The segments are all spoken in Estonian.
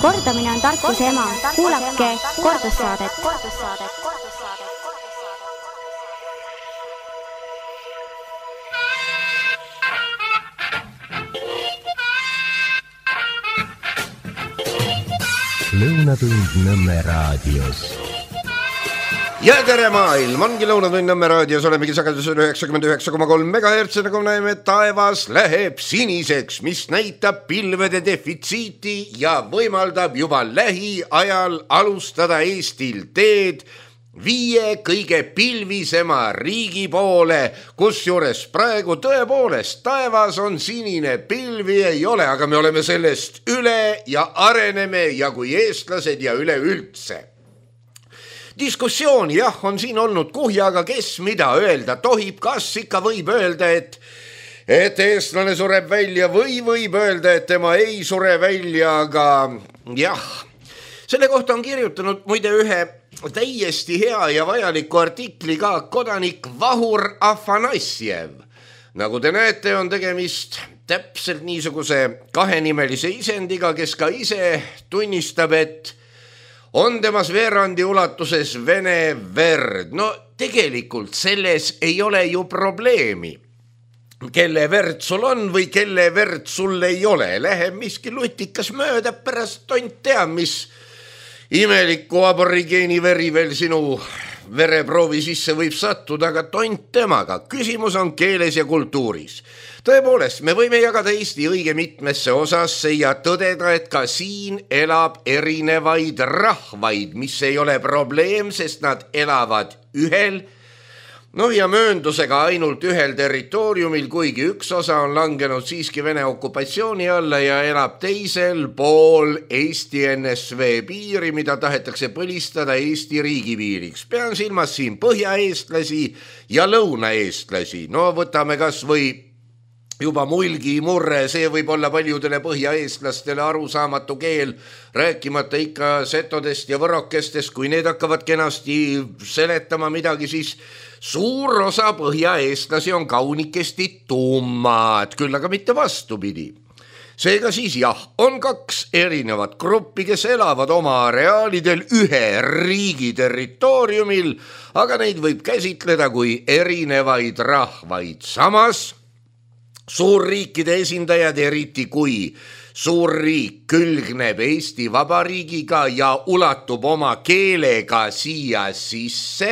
Kordamine on tarkuse ema. Kuulake kordussaadet. Lõunatund Nõmme raadios. Ja tere maailm, ongi Lõunatund Nõmme raadios, olemegi sagedusel 99,3 MHz, nagu näeme, taevas läheb siniseks, mis näitab pilvede defitsiiti ja võimaldab juba lähiajal alustada Eestil teed 5 kõige pilvisema riigi poole, kusjuures praegu tõepoolest taevas on sinine, pilvi ei ole, aga me oleme sellest üle ja areneme ja kui eestlased ja üleüldse. Diskussioon jah, on siin olnud kuhja, aga kes mida öelda tohib, kas ikka võib öelda, et eestlane sureb välja või võib öelda, et tema ei sure välja, aga jah. Selle kohta on kirjutanud muide ühe täiesti hea ja vajaliku artikli ka kodanik Vahur Afanassjev. Nagu te näete, on tegemist täpselt niisuguse kahenimelise isendiga, kes ka ise tunnistab, et on temas veerandi ulatuses vene verd. No tegelikult selles ei ole ju probleemi. Kelle verd sul on või kelle verd sul ei ole. Läheb miski lutikas mööda, pärast tont tea, mis imeliku aborigeeni veri veel sinu vereproovi sisse võib sattuda, aga tont temaga. Küsimus on keeles ja kultuuris. Tõepoolest, me võime jagada Eesti õige mitmesse osasse ja tõdeda, et ka siin elab erinevaid rahvaid, mis ei ole probleem, sest nad elavad ühel, ja mööndusega ainult ühel territooriumil, kuigi üks osa on langenud siiski Vene okupatsiooni alla ja elab teisel pool Eesti NSV piiri, mida tahetakse põlistada Eesti riigipiiriks. Pean silmas siin põhjaeestlasi ja lõunaeestlasi. Võtame kas või juba mulgi murre, see võib olla paljudele põhjaeestlastele arusaamatu keel, rääkimata ikka setodest ja võrokestest, kui need hakkavad kenasti seletama midagi, siis suur osa põhjaeestlasi on kaunikesti tummad, küll aga mitte vastupidi. Seega siis jah, on 2 erinevat gruppi, kes elavad oma areaalidel ühe riigi territooriumil, aga neid võib käsitleda kui erinevaid rahvaid. Samas suurriikide esindajad, eriti kui suurriik külgneb Eesti Vabariigiga ja ulatub oma keelega siia sisse,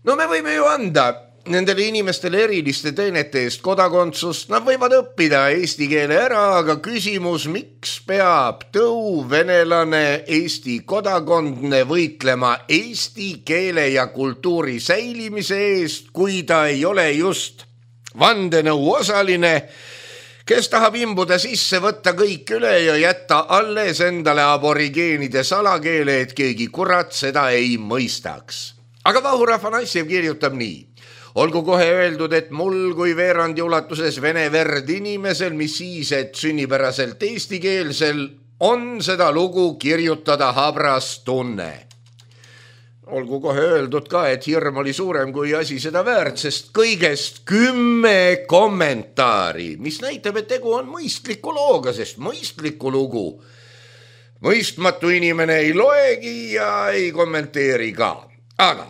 me võime ju anda nendele inimestele eriliste teenete eest kodakondsust, nad võivad õppida eesti keele ära, aga küsimus, miks peab tõuvenelane Eesti kodakondne võitlema eesti keele ja kultuuri säilimise eest, kui ta ei ole just vandenõu osaline, kes tahab imbuda sisse, võtta kõik üle ja jätta alles endale aborigeenide salakeele, et keegi kurat seda ei mõistaks. Aga Vahur Afanassjev kirjutab nii. Olgu kohe öeldud, et mul kui veerandi ulatuses vene verd inimesel, mis siis, et sünnipäraselt eestikeelsel, on seda lugu kirjutada habras tunne. Olgu kohe öeldud ka, et hirm oli suurem kui asi seda väärt, sest kõigest 10 kommentaari, mis näitab, et tegu on mõistliku looga, sest mõistliku lugu mõistmatu inimene ei loegi ja ei kommenteeri ka. Aga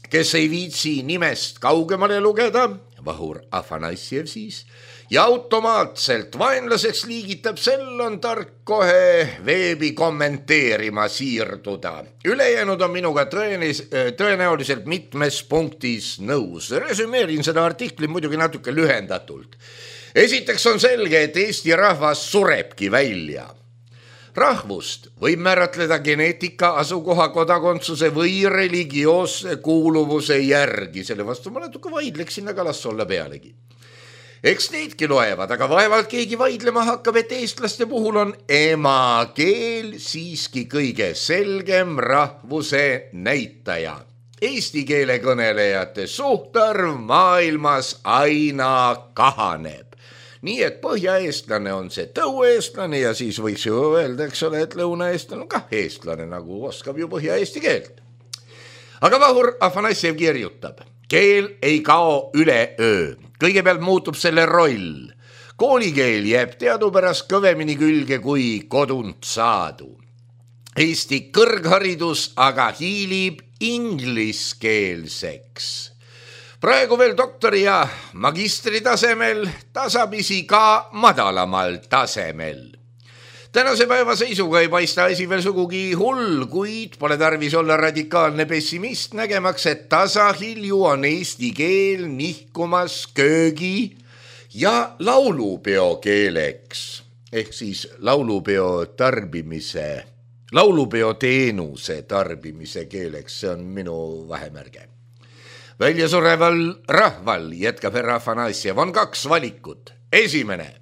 kes ei viitsi nimest kaugemale lugeda, Vahur Afanassjev siis, ja automaatselt vaenlaseks liigitab, sel on tark kohe veebi kommenteerima siirduda. Ülejäänud on minuga tõenäoliselt mitmes punktis nõus. Resümeerin seda artikli muidugi natuke lühendatult. Esiteks on selge, et Eesti rahvas surebki välja. Rahvust võib määratleda geneetika, asukoha, kodakondsuse või religioosse kuuluvuse järgi. Selle vastu ma natuke vaidleksin, aga las olla pealegi. Eks neidki loevad, aga vaevalt keegi vaidlema hakkab, et eestlaste puhul on emakeel siiski kõige selgem rahvuse näitaja. Eesti keele kõnelejate suhtarv maailmas aina kahaneb. Nii et põhjaeestlane on see tõueestlane ja siis võiks ju öelda, eks ole, et lõunaeestlane on kah eestlane, nagu oskab ju põhjaeesti keelt. Aga Vahur Afanassjev kirjutab, keel ei kao üleöö. Kõigepealt muutub selle roll. Koolikeel jääb teadupärast kõvemini külge kui kodunt saadu. Eesti kõrgharidus aga hiilib ingliskeelseks. Praegu veel doktori ja magistri tasemel, tasapisi ka madalamal tasemel. Tänase päeva seisuga ei paista asi veel sugugi hull, kuid pole tarvis olla radikaalne pessimist, nägemaks, et tasahilju on eesti keel nihkumas köögi ja laulupeo keeleks, ehk siis laulupeo teenuse tarbimise keeleks, see on minu vahemärge. Väljasureval rahval, jätkab härra Afanassiev, on 2 valikut. Esimene,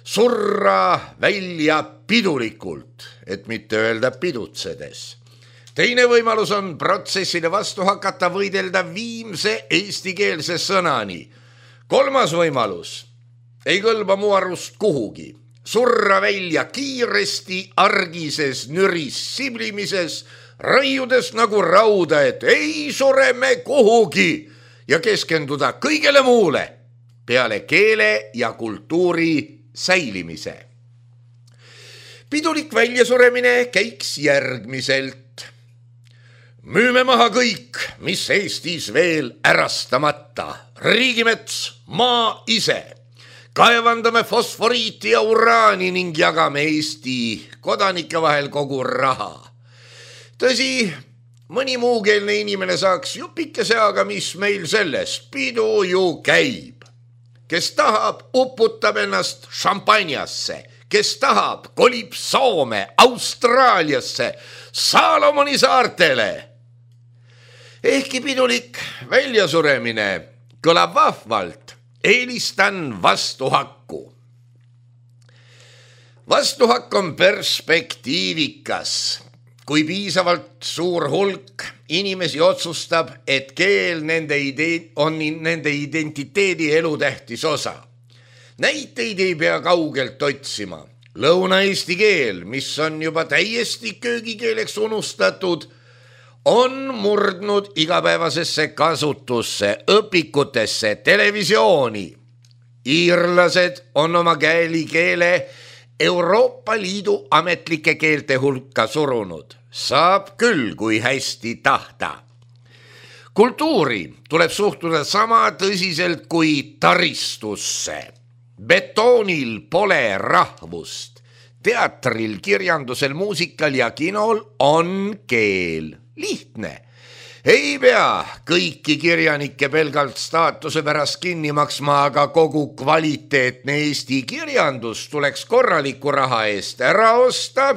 surra välja pidulikult, et mitte öelda pidutsedes. Teine võimalus on protsessile vastu hakata, võidelda viimse eestikeelse sõnani. Kolmas võimalus ei kõlba mu arust kuhugi. Surra välja kiiresti argises nüris siblimises, raiudes nagu rauda, et ei sure me kuhugi ja keskenduda kõigele muule peale keele ja kultuuri säilimise. Pidulik väljasuremine käiks järgmiselt. Müüme maha kõik, mis Eestis veel ärastamata. Riigimets, maa ise. Kaevandame fosforiiti ja uraani ning jagame Eesti kodanike vahel kogu raha. Tõsi, mõni muukeelne inimene saaks jupikese, aga mis meil sellest, pidu ju käib. Kes tahab, uputab ennast šampanjasse, kes tahab, kolib Soome, Austraaliasse, Salomoni saartele. Ehkki pidulik väljasuremine kõlab vahvalt, eelistan vastuhakku. Vastuhakk on perspektiivikas. Kui piisavalt suur hulk inimesi otsustab, et keel on nende identiteedi elutähtis osa. Näiteid ei pea kaugelt otsima. Lõuna-eesti keel, mis on juba täiesti köögikeeleks unustatud, on murdnud igapäevasesse kasutusse, õpikutesse, televisiooni. Iirlased on oma keele Euroopa Liidu ametlike keelte hulka surunud. Saab küll, kui hästi tahta. Kultuuri tuleb suhtuda sama tõsiselt kui taristusse. Betoonil pole rahvust. Teatril, kirjandusel, muusikal ja kinol on keel. Lihtne. Ei pea kõiki kirjanikke pelgalt staatuse pärast kinni maksma, aga kogu kvaliteetne Eesti kirjandus tuleks korraliku raha eest ära osta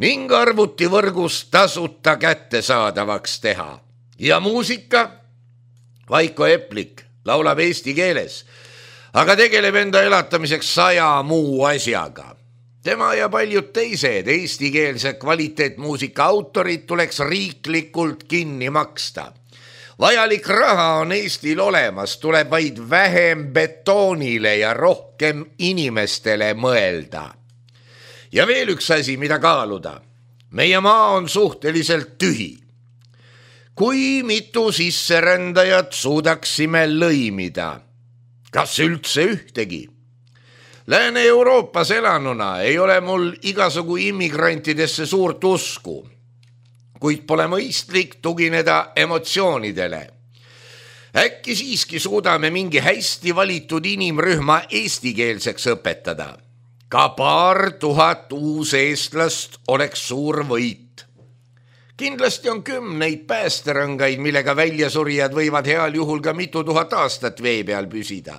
ning arvutivõrgus tasuta kättesaadavaks teha. Ja muusika? Vaiko Eplik laulab eesti keeles, aga tegeleb enda elatamiseks 100 muu asjaga. Tema ja paljud teised eestikeelse kvaliteetmuusika autorid tuleks riiklikult kinni maksta. Vajalik raha on Eestil olemas, tuleb vaid vähem betoonile ja rohkem inimestele mõelda. Ja veel üks asi, mida kaaluda. Meie maa on suhteliselt tühi. Kui mitu sisserändajat suudaksime lõimida? Kas üldse ühtegi? Lääne-Euroopas elanuna ei ole mul igasugu immigrantidesse suurt usku, kuid pole mõistlik tugineda emotsioonidele. Äkki siiski suudame mingi hästi valitud inimrühma eestikeelseks õpetada. Ka 2000 uuseestlast oleks suur võit. Kindlasti on 10 päästerõngaid, millega väljasurijad võivad heal juhul ka mitu tuhat aastat vee peal püsida.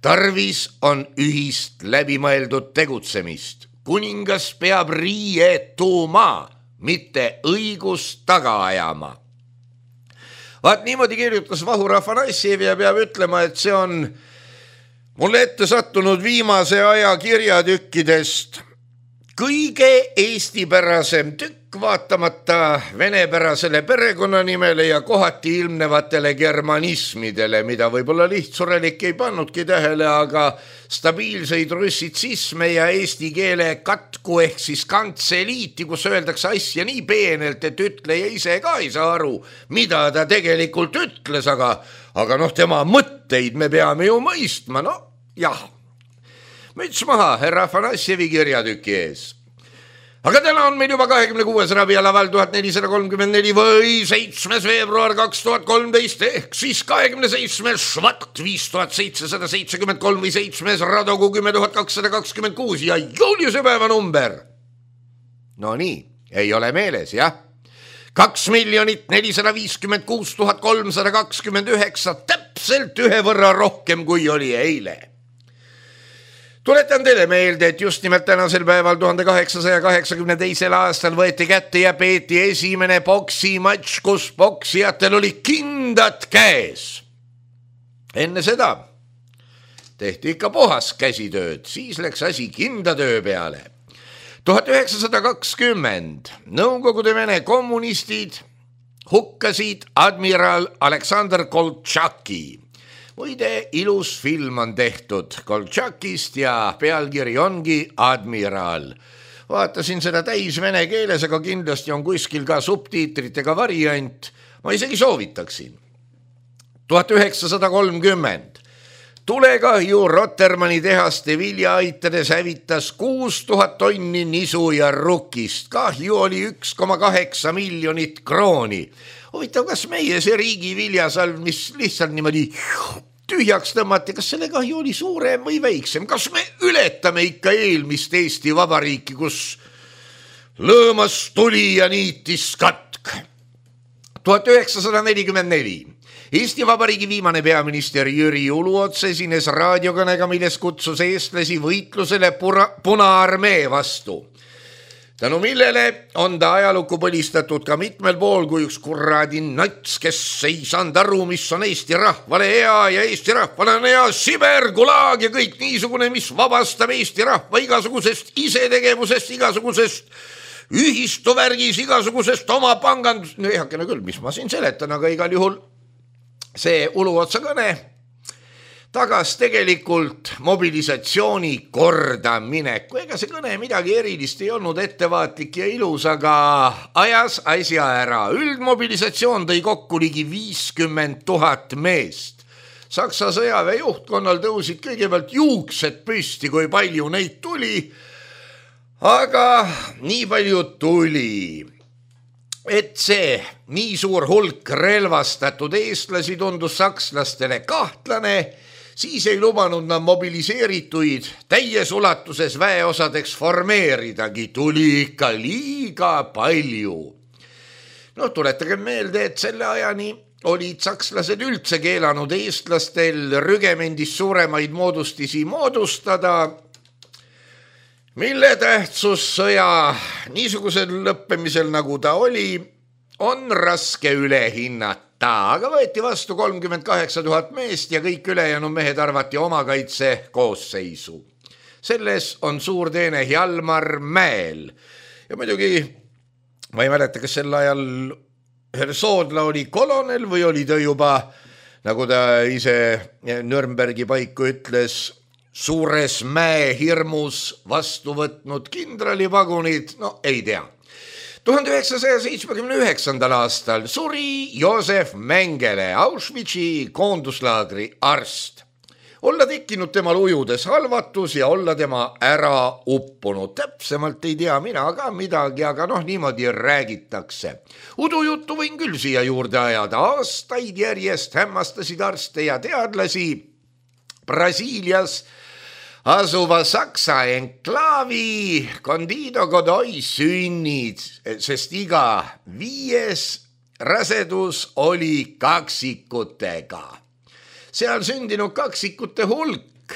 Tarvis on ühist läbimõeldud tegutsemist. Kuningas peab riietuma, mitte õigust taga ajama. Vaat niimoodi kirjutas Vahur Afanassiev ja peab ütlema, et see on mulle ette sattunud viimase aja kirjatükkidest kõige eestipärasem tükk, vaatamata venepärasele perekonnanimele ja kohati ilmnevatele germanismidele, mida võib-olla lihtsurelik ei pannudki tähele, aga stabiilseid russitsisme ja eesti keele katku ehk siis kantseliiti, kus öeldakse asja nii peenelt, et ütleja ise ka ei saa aru, mida ta tegelikult ütles, aga tema mõtteid me peame ju mõistma, jah. Müts maha härra Afanassjevi kirjatüki ees. Aga täna on meil juba 26. Rabia laval 1434 või 7. veebruar 2013 ehk siis 27. Švat 5773 või 7. Radogu 10226 ja Juliuse päeva number. No nii, ei ole meeles, jah? 2,456,329, täpselt ühe võrra rohkem kui oli eile. Tuletan teile meelde, et just nimelt tänasel päeval 1882. aastal võeti kätte ja peeti esimene poksimatš, kus poksijatel oli kindad käes. Enne seda tehti ikka puhas käsitööd, siis läks asi kindatöö peale. 1920 Nõukogude Vene kommunistid hukkasid admiral Aleksandr Koltšaki. Muide, ilus film on tehtud Koltšakist ja pealkiri ongi Admiral. Vaatasin seda täis vene keeles, aga kindlasti on kuskil ka subtiitritega variant. Ma isegi soovitaksin. 1930 tulekahju Rotermanni tehaste viljaaitades hävitas 6000 tonni nisu ja rukist. Kahju oli 1,8 miljonit krooni. Huvitav, kas meie see riigi viljasalv, mis lihtsalt niimoodi tühjaks tõmmati, kas selle kahju oli suurem või väiksem? Kas me ületame ikka eelmist Eesti Vabariiki, kus lõõmas tuli ja niitis katk? 1944 Eesti Vabariigi viimane peaminister Jüri Uluots esines raadiokõnega, milles kutsus eestlasi võitlusele Punaarmee vastu. Tänu millele on ta ajalukku põlistatud ka mitmel pool kui üks kuradi nats, kes ei saanud aru, mis on Eesti rahvale hea ja Eesti rahvale on hea Siber, Gulag ja kõik niisugune, mis vabastab Eesti rahva igasugusest isetegevusest, igasugusest ühistuvärgis, igasugusest oma pangandust. No ehakene küll, mis ma siin seletan, aga igal juhul see Uluotsa kõne tagas tegelikult mobilisatsiooni korda mineku. Ega see kõne midagi erilist ei olnud, ettevaatlik ja ilus, aga ajas asja ära. Üldmobilisatsioon tõi kokku ligi 50 000 meest. Saksa sõjaväe juhtkonnal tõusid kõigepealt juuksed püsti, kui palju neid tuli. Aga nii palju tuli, et see nii suur hulk relvastatud eestlasi tundus sakslastele kahtlane. Siis ei lubanud nad mobiliseerituid täies ulatuses väeosadeks formeeridagi, tuli ikka liiga palju. No tuletage meelde, et selle ajani olid sakslased üldse keelanud eestlastel rügemendis suuremaid moodustisi moodustada, mille tähtsus sõja niisugusel lõppemisel, nagu ta oli, on raske üle hinnata. Aga võeti vastu 38 000 meest ja kõik ülejäänud mehed arvati omakaitse koosseisu. Selles on suur teene Hjalmar Mäel. Ja muidugi, ma ei mäleta, kas sel ajal Soodla oli kolonel või oli ta juba, nagu ta ise Nürnbergi paiku ütles, suures mäehirmus vastu võtnud kindralivagunid, no ei tea. 1979. aastal suri Joosef Mengele, Auschwitzi koonduslaagri arst. Olla tekkinud temal ujudes halvatus ja olla tema ära uppunud. Täpsemalt ei tea mina ka midagi, aga niimoodi räägitakse. Udujuttu võin küll siia juurde ajada. Aastaid järjest hämmastasid arste ja teadlasi Brasiilias asuva Saksa enklaavi Candido Godoy sünnid, sest iga 5. rasedus oli kaksikutega. Seal sündinud kaksikute hulk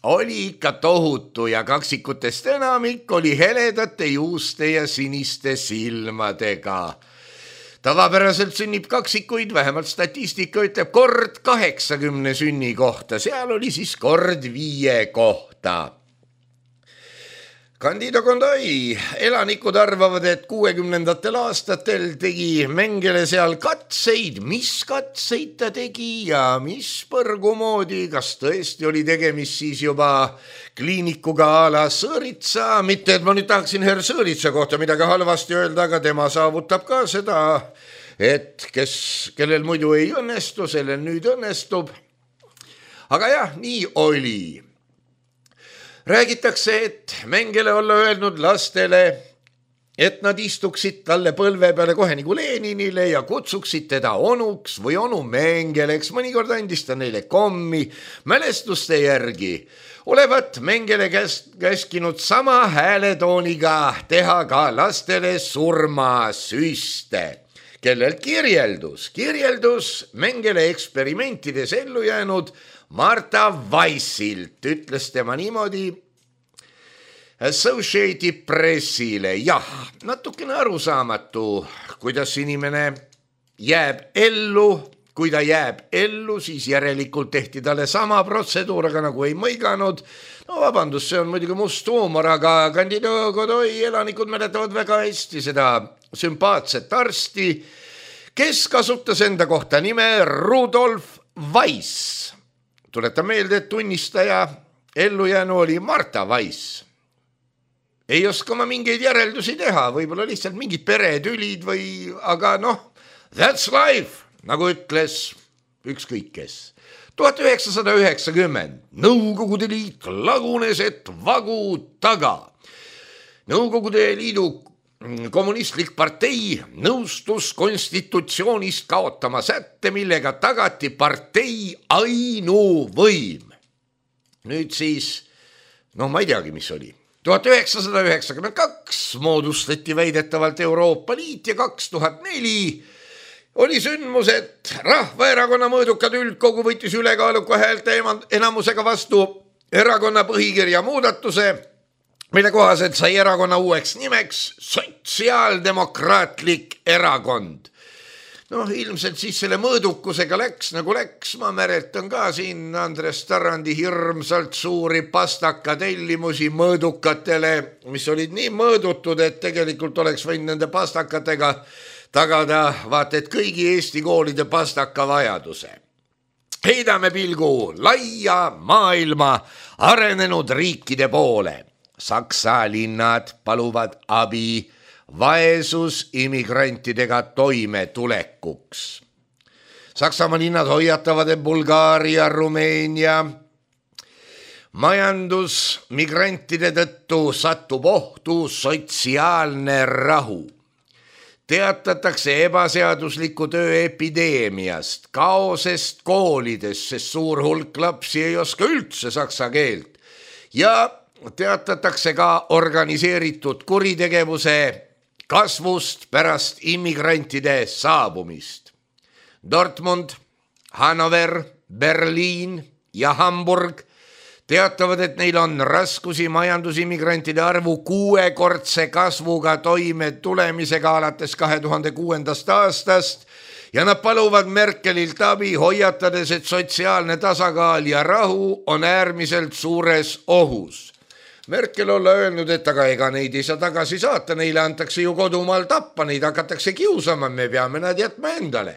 oli ikka tohutu ja kaksikutest enamik oli heledate juuste ja siniste silmadega. Tavapäraselt sünnib kaksikuid, vähemalt statistika ütleb kord 80 sünni kohta, seal oli siis kord 5 kohta. Candido Godoy elanikud arvavad, et 60. aastatel tegi Mengele seal katseid. Mis katseid ta tegi ja mis põrgu moodi, kas tõesti oli tegemist siis juba kliinikuga a la Sõõritsa, mitte et ma nüüd tahaksin herr Sõõritsa kohta midagi halvasti öelda, aga tema saavutab ka seda, et kellel muidu ei õnnestu, sellel nüüd õnnestub. Aga jah, nii oli. Räägitakse, et Mengele olla öelnud lastele, et nad istuksid talle põlve peale kohe nagu Leninile ja kutsuksid teda onuks või onu Mengeleks. Mõnikord andis ta neile kommi mälestuste järgi. Olevat Mengele käskinud sama hääletooniga teha ka lastele surmasüste, kellelt kirjeldus Mengele eksperimentides ellu jäänud Marta Weissilt. Ütles tema niimoodi Associated Pressile, jah, natukene arusaamatu, kuidas inimene jääb ellu. Kui ta jääb ellu, siis järelikult tehti talle sama protseduur, aga nagu ei mõiganud. No vabandust, see on muidugi must huumor, aga Candido Godoy elanikud mäletavad väga hästi seda sümpaatset arsti, kes kasutas enda kohta nime Rudolf Weiss. Tuletan meelde, et tunnistaja ellujäänu oli Marta Weiss. Ei oska ma mingeid järeldusi teha, võib-olla lihtsalt mingid peretülid või, aga noh, that's life, nagu ütles ükskõik kes. 1990 Nõukogude Liit lagunes, et vagu taga. Nõukogude Liidu kommunistlik partei nõustus konstitutsioonist kaotama sätte, millega tagati partei ainuvõim. Nüüd siis, ma ei teagi, mis oli. 1992 moodustati väidetavalt Euroopa Liit ja 2004 oli sündmus, et Rahvaerakonna mõõdukad üldkogu võttis ülekaaluka häälte enamusega vastu erakonna põhikirja muudatuse, mille kohaselt sai erakonna uueks nimeks Sotsiaaldemokraatlik Erakond. Ilmselt siis selle mõõdukusega läks nagu läks. Ma mäletan ka siin Andres Tarandi hirmsalt suuri pastaka tellimusi mõõdukatele, mis olid nii mõõdutud, et tegelikult oleks võinud nende pastakatega tagada vaata et kõigi Eesti koolide pastaka vajaduse. Heidame pilgu laia maailma arenenud riikide poole. Saksa linnad paluvad abi vaesus immigrantidega toimetulekuks. Saksamaa linnad hoiatavad, et Bulgaaria, Rumeenia majandusmigrantide tõttu satub ohtu sotsiaalne rahu. Teatatakse ebaseadusliku töö epideemiast, kaosest koolides, sest suur hulk lapsi ei oska üldse saksa keelt. Ja teatatakse ka organiseeritud kuritegevuse kasvust pärast immigrantide saabumist. Dortmund, Hannover, Berliin ja Hamburg teatavad, et neil on raskusi majandusimmigrantide arvu 6-kordse kasvuga toime tulemisega alates 2006. aastast ja nad paluvad Merkelilt abi, hoiatades, et sotsiaalne tasakaal ja rahu on äärmiselt suures ohus. Merkel olla öelnud, et aga ega neid ei saa tagasi saata, neile antakse ju kodumaal tappa, neid hakatakse kiusama, me peame nad jätma endale.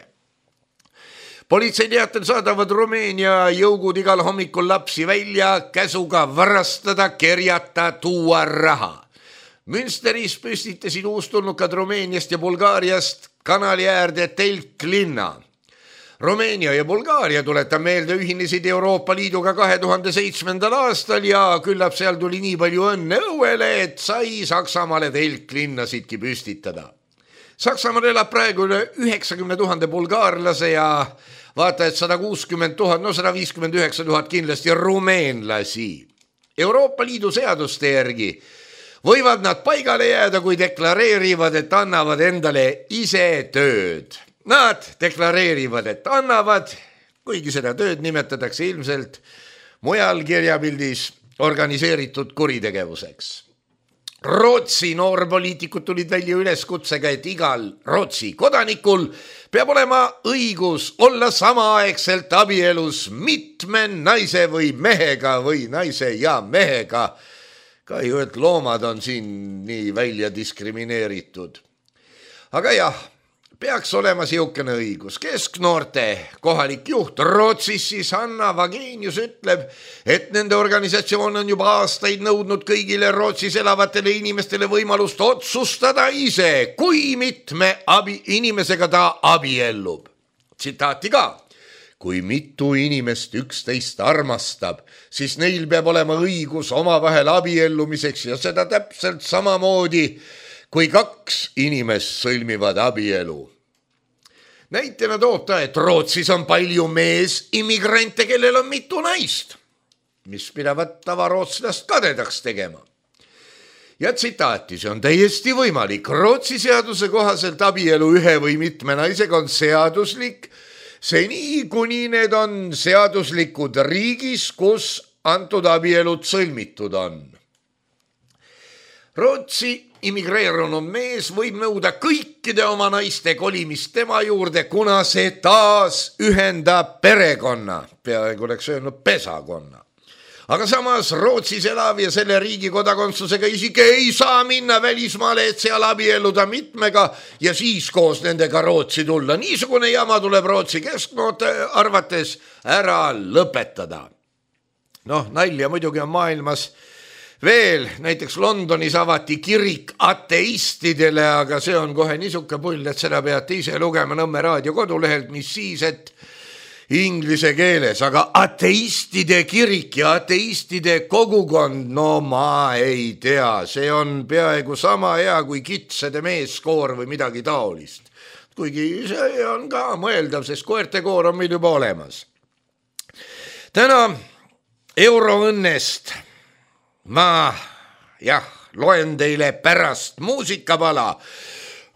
Politsei teatel saadavad Rumeenia jõugud igal hommikul lapsi välja käsuga varastada, kerjata, tuua raha. Münsteris püstitasid uustulnukad Rumeeniast ja Bulgaariast kanali äärde telklinna. Rumeenia ja Bulgaaria, tuletan meelde, ühinesid Euroopa Liiduga 2007. aastal ja küllap seal tuli nii palju õnne õuele, et sai Saksamaale telklinnasidki püstitada. Saksamaal elab praegu üle 90 000 bulgaarlase ja vaata, et 160 000, 159 000 kindlasti rumeenlasi. Euroopa Liidu seaduste järgi võivad nad paigale jääda, kui deklareerivad, et annavad endale ise tööd. Nad deklareerivad, et annavad, kuigi seda tööd nimetatakse ilmselt mujal kirjapildis organiseeritud kuritegevuseks. Rootsi noorpoliitikud tulid välja üleskutsega, et igal Rootsi kodanikul peab olema õigus olla samaaegselt abielus mitme naise või mehega või naise ja mehega. Kahju, et loomad on siin nii välja diskrimineeritud. Aga jah, peaks olema siukene õigus. Kesknoorte kohalik juht Rootsis siis Hanna Vagenius ütleb, et nende organisatsioon on juba aastaid nõudnud kõigile Rootsis elavatele inimestele võimalust otsustada ise, kui mitme inimesega ta abiellub. Tsitaati ka. kui mitu inimest üksteist armastab, siis neil peab olema õigus omavahel abiellumiseks ja seda täpselt samamoodi, kui kaks inimest sõlmivad abielu. Näitena toob ta, et Rootsis on palju meesimmigrante, kellel on mitu naist, mis pidavad tavarootslast kadedaks tegema. Ja tsitaati, see on täiesti võimalik. Rootsi seaduse kohaselt abielu ühe või mitme naisega on seaduslik, seni kuni need on seaduslikud riigis, kus antud abielud sõlmitud on. Rootsi immigreerunud mees võib nõuda kõikide oma naiste kolimist tema juurde, kuna see taas ühendab perekonna, peaaegu oleks öelnud pesakonna. Aga samas Rootsis elav ja selle riigi kodakondsusega isik ei saa minna välismaale, et seal abielluda mitmega ja siis koos nendega Rootsi tulla. Niisugune jama tuleb Rootsi kesknoote arvates ära lõpetada. Nalja muidugi on maailmas veel, näiteks Londonis avati kirik ateistidele, aga see on kohe niisuke pull, et seda peate ise lugema Nõmme raadio kodulehelt, mis siis, et inglise keeles, aga ateistide kirik ja ateistide kogukond, ma ei tea, see on peaaegu sama hea kui kitsede meeskoor või midagi taolist. Kuigi see on ka mõeldav, sest koertekoor on meil juba olemas. Täna euroõnnest ma loen teile pärast muusikapala.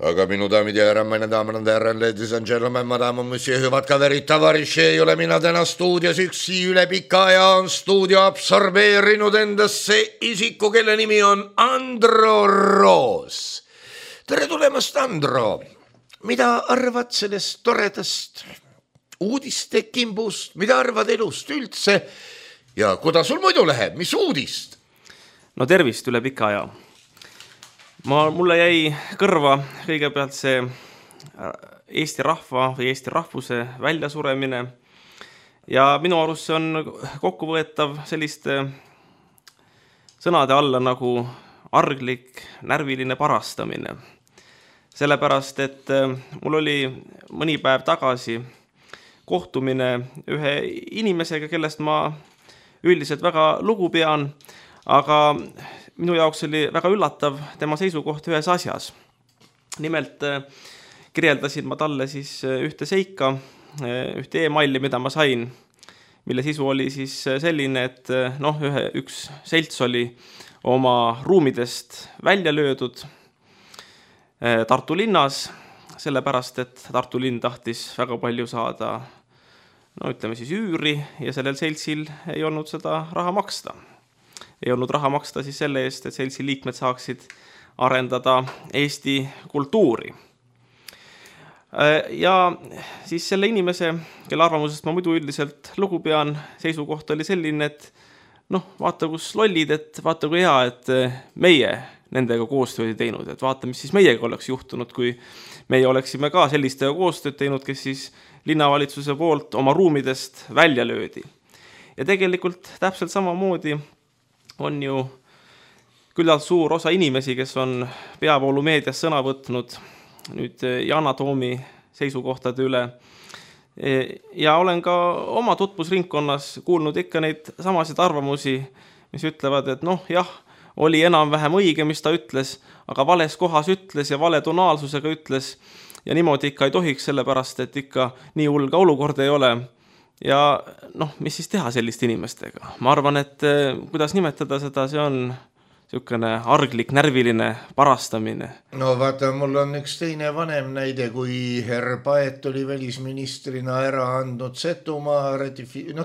Aga minu daamid ja härrad, meine damen und herren, ladies and gentlemen, madame, monsieur, hüvad kaverid, tavariši, ei ole mina täna stuudios üksi, üle pika aja on stuudio absorbeerinud endasse isiku, kelle nimi on Andro Roos. Tere tulemast, Andro! Mida arvad sellest toredast uudiste kimbust? Mida arvad elust üldse? Ja kuidas sul muidu läheb? Mis uudist? No tervist üle pika aja. Mulle jäi kõrva kõigepealt see Eesti rahva või Eesti rahvuse väljasuremine ja minu arust see on kokkuvõetav selliste sõnade alla nagu arglik, närviline parastamine. Sellepärast, et mul oli mõni päev tagasi kohtumine ühe inimesega, kellest ma üldiselt väga lugu pean, aga minu jaoks oli väga üllatav tema seisukoht ühes asjas. Nimelt kirjeldasin ma talle siis ühte seika, ühte e-maili, mida ma sain, mille sisu oli siis selline, et üks selts oli oma ruumidest välja löödud Tartu linnas, sellepärast, et Tartu linn tahtis väga palju saada, ütleme siis üüri ja sellel seltsil ei olnud seda raha maksta. Ei olnud raha maksta siis selle eest, et seltsi liikmed saaksid arendada Eesti kultuuri. Ja siis selle inimese, kelle arvamusest ma muidu üldiselt lugu pean, seisukoht oli selline, et vaata kus lollid, et vaata kui hea, et meie nendega koostööd teinud, et vaata, mis siis meiega oleks juhtunud, kui meie oleksime ka sellistega koostööd teinud, kes siis linnavalitsuse poolt oma ruumidest välja löödi. Ja tegelikult täpselt samamoodi on ju küllalt suur osa inimesi, kes on peavoolumeedias sõna võtnud nüüd Yana Toomi seisukohtade üle. Ja olen ka oma tutvusringkonnas kuulnud ikka neid samasid arvamusi, mis ütlevad, et oli enam-vähem õige, mis ta ütles, aga vales kohas ütles ja vale tonaalsusega ütles ja niimoodi ikka ei tohiks, sellepärast, et ikka nii hull ka olukord ei ole. Ja mis siis teha selliste inimestega? Ma arvan, et kuidas nimetada seda, see on niisugune arglik, närviline parastamine. Vaata, mul on üks teine vanem näide, kui herr Paet oli välisministrina ära andnud Setumaa,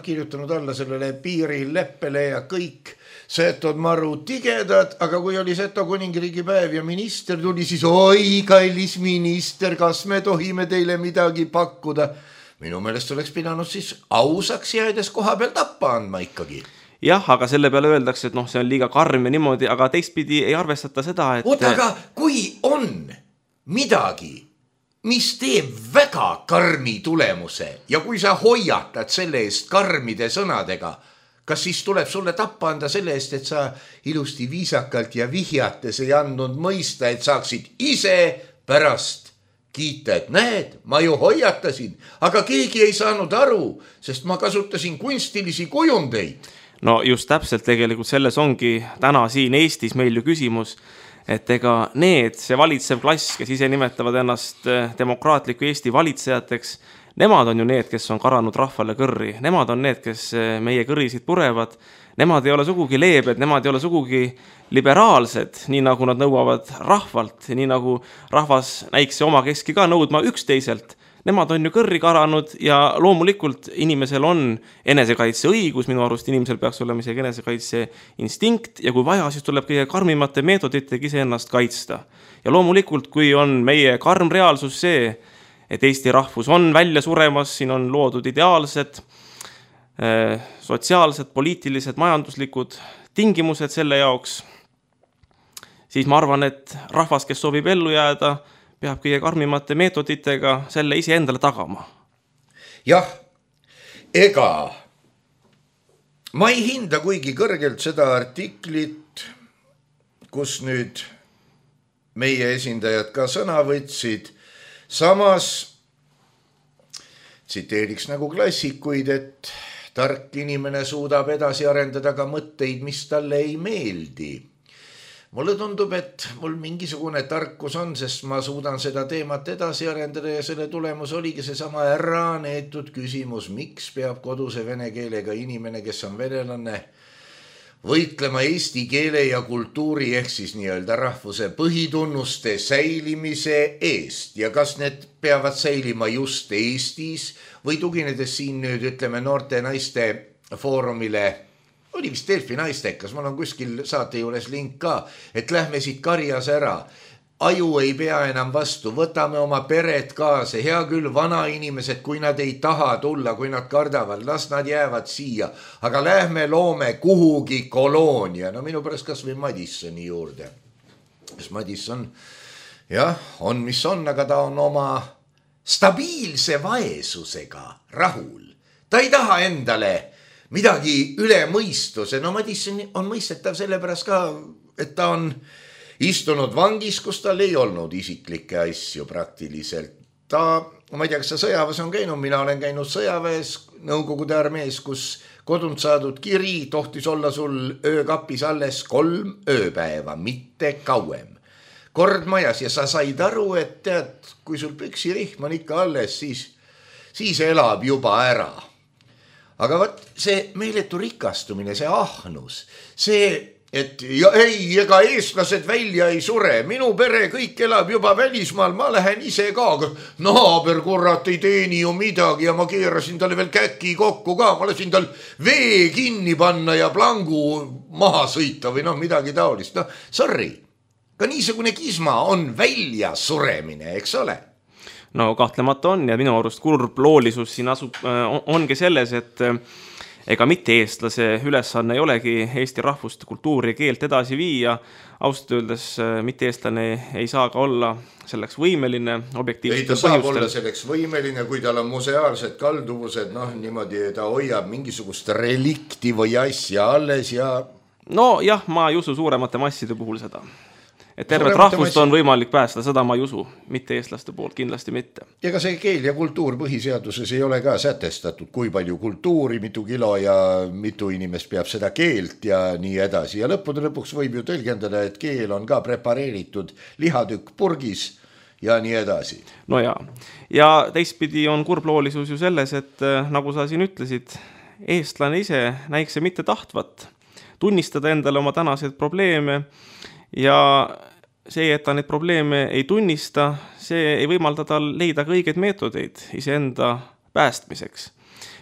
kirjutanud alla sellele piirileppele ja kõik Setod maru tigedad, aga kui oli Seto kuningriigi päev ja minister tuli, siis oi, kallis minister, kas me tohime teile midagi pakkuda? Minu meelest oleks pidanud siis ausaks jäädes koha peal tappa andma ikkagi. Jah, aga selle peale öeldakse, et see on liiga karm ja niimoodi, aga teistpidi ei arvestata seda, et... aga kui on midagi, mis teeb väga karmi tulemuse ja kui sa hoiatad selle eest karmide sõnadega, kas siis tuleb sulle tappa anda selle eest, et sa ilusti viisakalt ja vihjates ei andnud mõista, et saaksid ise pärast kiita, et näed, ma ju hoiatasin, aga keegi ei saanud aru, sest ma kasutasin kunstilisi kujundeid. No just täpselt tegelikult selles ongi täna siin Eestis meil ju küsimus, et ega see valitsev klass, kes ise nimetavad ennast demokraatliku Eesti valitsejateks, nemad on ju need, kes on karanud rahvale kõrri, nemad on need, kes meie kõrisid purevad, nemad ei ole sugugi leebed, nemad ei ole sugugi liberaalsed, nii nagu nad nõuavad rahvalt, nii nagu rahvas näikse oma keski ka nõudma üksteiselt. Nemad on ju kõrri karanud ja loomulikult inimesel on enesekaitse õigus, minu arust inimesel peaks olema isegi enesekaitse instinkt ja kui vaja, siis tuleb kõige karmimate meetoditega ise ennast kaitsta. Ja loomulikult, kui on meie karm reaalsus see, et Eesti rahvus on välja suremas, siin on loodud ideaalsed, sotsiaalsed, poliitilised, majanduslikud tingimused selle jaoks, siis ma arvan, et rahvas, kes soovib ellu jääda, peab kõige karmimate meetoditega selle ise endale tagama. Jah, ega ma ei hinda kuigi kõrgelt seda artiklit, kus nüüd meie esindajad ka sõna võtsid. Samas tsiteeriks nagu klassikuid, et tark inimene suudab edasi arendada ka mõtteid, mis talle ei meeldi. Mulle tundub, et mul mingisugune tarkus on, sest ma suudan seda teemat edasi arendada ja selle tulemus oligi seesama ära neetud küsimus, miks peab koduse vene keelega inimene, kes on venelane, võitlema eesti keele ja kultuuri ehk siis nii-öelda rahvuse põhitunnuste säilimise eest ja kas need peavad säilima just Eestis või tuginedes siin nüüd ütleme noorte naiste foorumile, oli vist Delfi naistekas, mul on kuskil saate juures link ka, et lähme siit karjas ära. Aju ei pea enam vastu, võtame oma pered kaasa, hea küll vanainimesed, kui nad ei taha tulla, kui nad kardavad, las nad jäävad siia, aga lähme loome kuhugi koloonia. No minu pärast kas või Madissoni juurde. Sest Madisson, jah, on mis on, aga ta on oma stabiilse vaesusega rahul. Ta ei taha endale midagi üle mõistuse. No Madisson on mõistetav sellepärast ka, et ta on istunud vangis, kus tal ei olnud isiklikke asju praktiliselt. Ma ei tea, kas sa sõjaväes on käinud, mina olen käinud sõjaväes Nõukogude armees, kus kodunt saadud kiri tohtis olla sul öökapis alles 3 ööpäeva, mitte kauem. Kord majas ja sa said aru, et tead, kui sul püksirihm on ikka alles, siis elab juba ära. Aga võt, see meeletu rikastumine, see ahnus, see, et ja ei, ega eestlased välja ei sure, minu pere kõik elab juba välismaal, ma lähen ise ka, naaber kurat ei teeni ju midagi ja ma keerasin talle veel käki kokku ka, ma lasin tal vee kinni panna ja plangu maha sõita või midagi taolist. Sorry, ka niisugune kisma on välja suremine, eks ole? No kahtlemata on ja minu arust kurb loolisus siin ongi selles, et ega mitte eestlase ülesanne ei olegi Eesti rahvust, kultuuri ja keelt edasi viia. Ausalt öeldes mitte eestlane ei saa ka olla selleks võimeline objektiivsete põhjustel. Ei ta saab olla selleks võimeline, kui tal on museaalsed kalduvused, niimoodi ta hoiab mingisugust relikti või asja alles ja... No jah, ma ei usu suuremate masside puhul seda. Et tervet rahvust on võimalik päästa, seda ma ei usu, mitte eestlaste poolt, kindlasti mitte. Ja ka see keel ja kultuur põhiseaduses ei ole ka sätestatud, kui palju kultuuri, mitu kilo ja mitu inimest peab seda keelt ja nii edasi. Ja lõppude lõpuks võib ju tõlgendada, et keel on ka prepareeritud lihatükk purgis ja nii edasi. No ja teistpidi on kurbloolisus ju selles, et nagu sa siin ütlesid, eestlane ise näikse mitte tahtvat tunnistada endale oma tänaseid probleeme ja see, et ta neid probleeme ei tunnista, see ei võimalda tal leida ka õigeid meetodeid iseenda päästmiseks.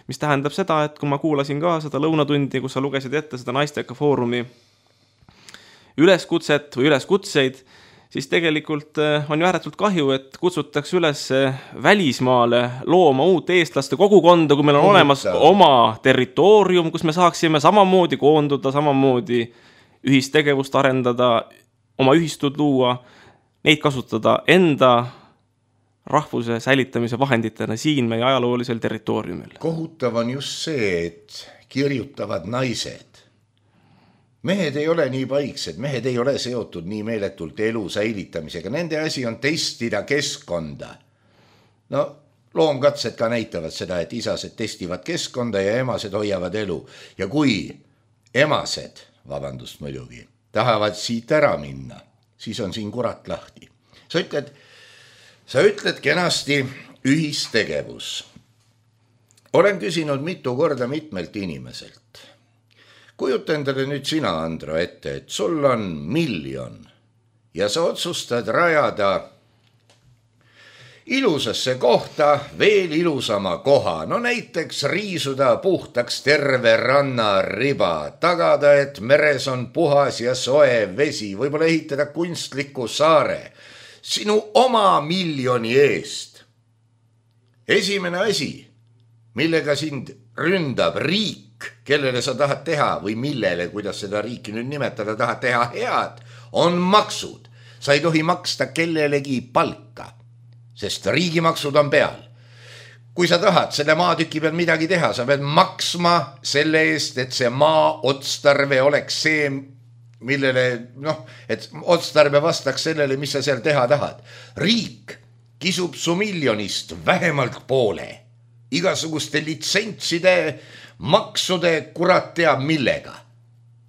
Mis tähendab seda, et kui ma kuulasin ka seda lõunatundi, kus sa lugesid ette seda naisteka foorumi üleskutset või üleskutseid, siis tegelikult on ju ääretult kahju, et kutsutakse üles välismaale looma uut eestlaste kogukonda, kui meil on olemas oma territoorium, kus me saaksime samamoodi koonduda, samamoodi ühistegevust arendada, oma ühistud luua, neid kasutada enda rahvuse säilitamise vahenditena siin meie ajaloolisel territooriumil. Kohutav on just see, et kirjutavad naised. mehed ei ole nii paiksed, mehed ei ole seotud nii meeletult elu säilitamisega, nende asi on testida keskkonda. No loomkatsed ka näitavad seda, et isased testivad keskkonda ja emased hoiavad elu. Ja kui emased, vabandust muidugi, tahavad siit ära minna, siis on siin kurat lahti. Sa ütled kenasti ühistegevus. Olen küsinud mitu korda mitmelt inimeselt. Kujuta endale nüüd sina, Andro, ette, et sul on 1 miljon ja sa otsustad rajada ilusasse kohta veel ilusama koha. No näiteks riisuda puhtaks terve rannariba, tagada, et meres on puhas ja soe vesi, võib-olla ehitada kunstliku saare sinu oma 1 miljoni eest. Esimene asi, millega sind ründab riik, kellele sa tahad teha või millele, kuidas seda riiki nüüd nimetada, tahad teha head, on maksud. Sa ei tohi maksta kellelegi palka, sest riigimaksud on peal. Kui sa tahad selle maatüki peal midagi teha, sa pead maksma selle eest, et see maa otstarve oleks see, millele, et otstarve vastaks sellele, mis sa seal teha tahad. Riik kisub su 1 miljonist vähemalt poole. Igasuguste litsentside, maksude, kurat teab millega.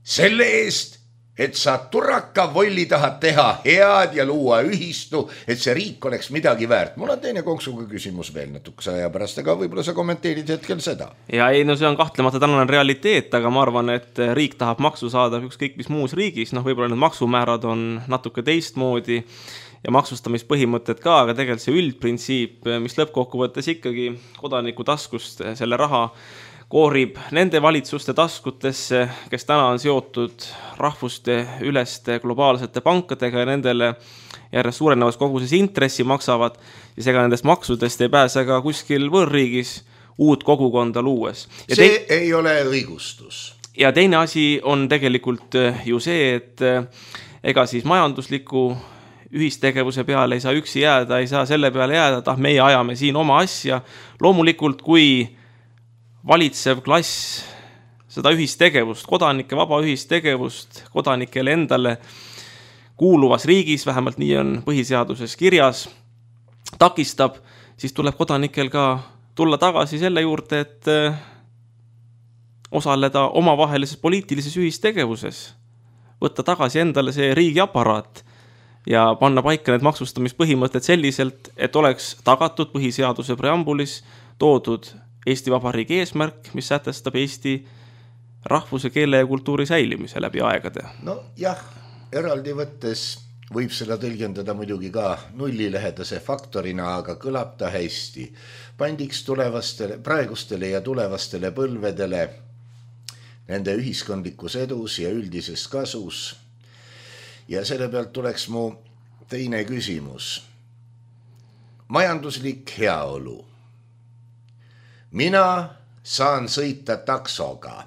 Selle eest, et sa turaka volli tahad teha head ja luua ühistu, et see riik oleks midagi väärt. Mul on teine konksuga küsimus veel natukese aja pärast, aga võib-olla sa kommenteerid hetkel seda. Ja ei, no see on kahtlemata tänane realiteet, aga ma arvan, et riik tahab maksu saada ükskõik mis muus riigis. Võib-olla need maksumäärad on natuke teistmoodi ja maksustamispõhimõtted ka, aga tegelikult see üldprintsiip, mis lõppkokkuvõttes ikkagi kodaniku taskust selle raha koorib nende valitsuste taskutesse, kes täna on seotud rahvuste üleste globaalsete pankadega ja nendele järjest suurenevas koguses intressi maksavad, siis ega nendest maksudest ei pääse ka kuskil võõrriigis uut kogukonda luues. Ja see ei ole õigustus. Ja teine asi on tegelikult ju see, et ega siis majandusliku ühistegevuse peale ei saa üksi jääda, ei saa selle peale jääda, et meie ajame siin oma asja. Loomulikult, kui valitsev klass seda ühistegevust, kodanike vaba ühistegevust, kodanikele endale kuuluvas riigis, vähemalt nii on põhiseaduses kirjas, takistab, siis tuleb kodanikel ka tulla tagasi selle juurde, et osaleda omavahelises poliitilises ühistegevuses, võtta tagasi endale see riigiaparaat ja panna paika need maksustamispõhimõtted selliselt, et oleks tagatud põhiseaduse preambulis toodud Eesti Vabariigi eesmärk, mis sätestab Eesti rahvuse, keele ja kultuuri säilimise läbi aegade. No jah, eraldi võttes võib seda tõlgendada muidugi ka nullilähedase faktorina, aga kõlab ta hästi. Pandiks praegustele ja tulevastele põlvedele nende ühiskondlikus edus ja üldises kasus. Ja selle pealt tuleks mu teine küsimus. Majanduslik heaolu. Mina saan sõita taksoga.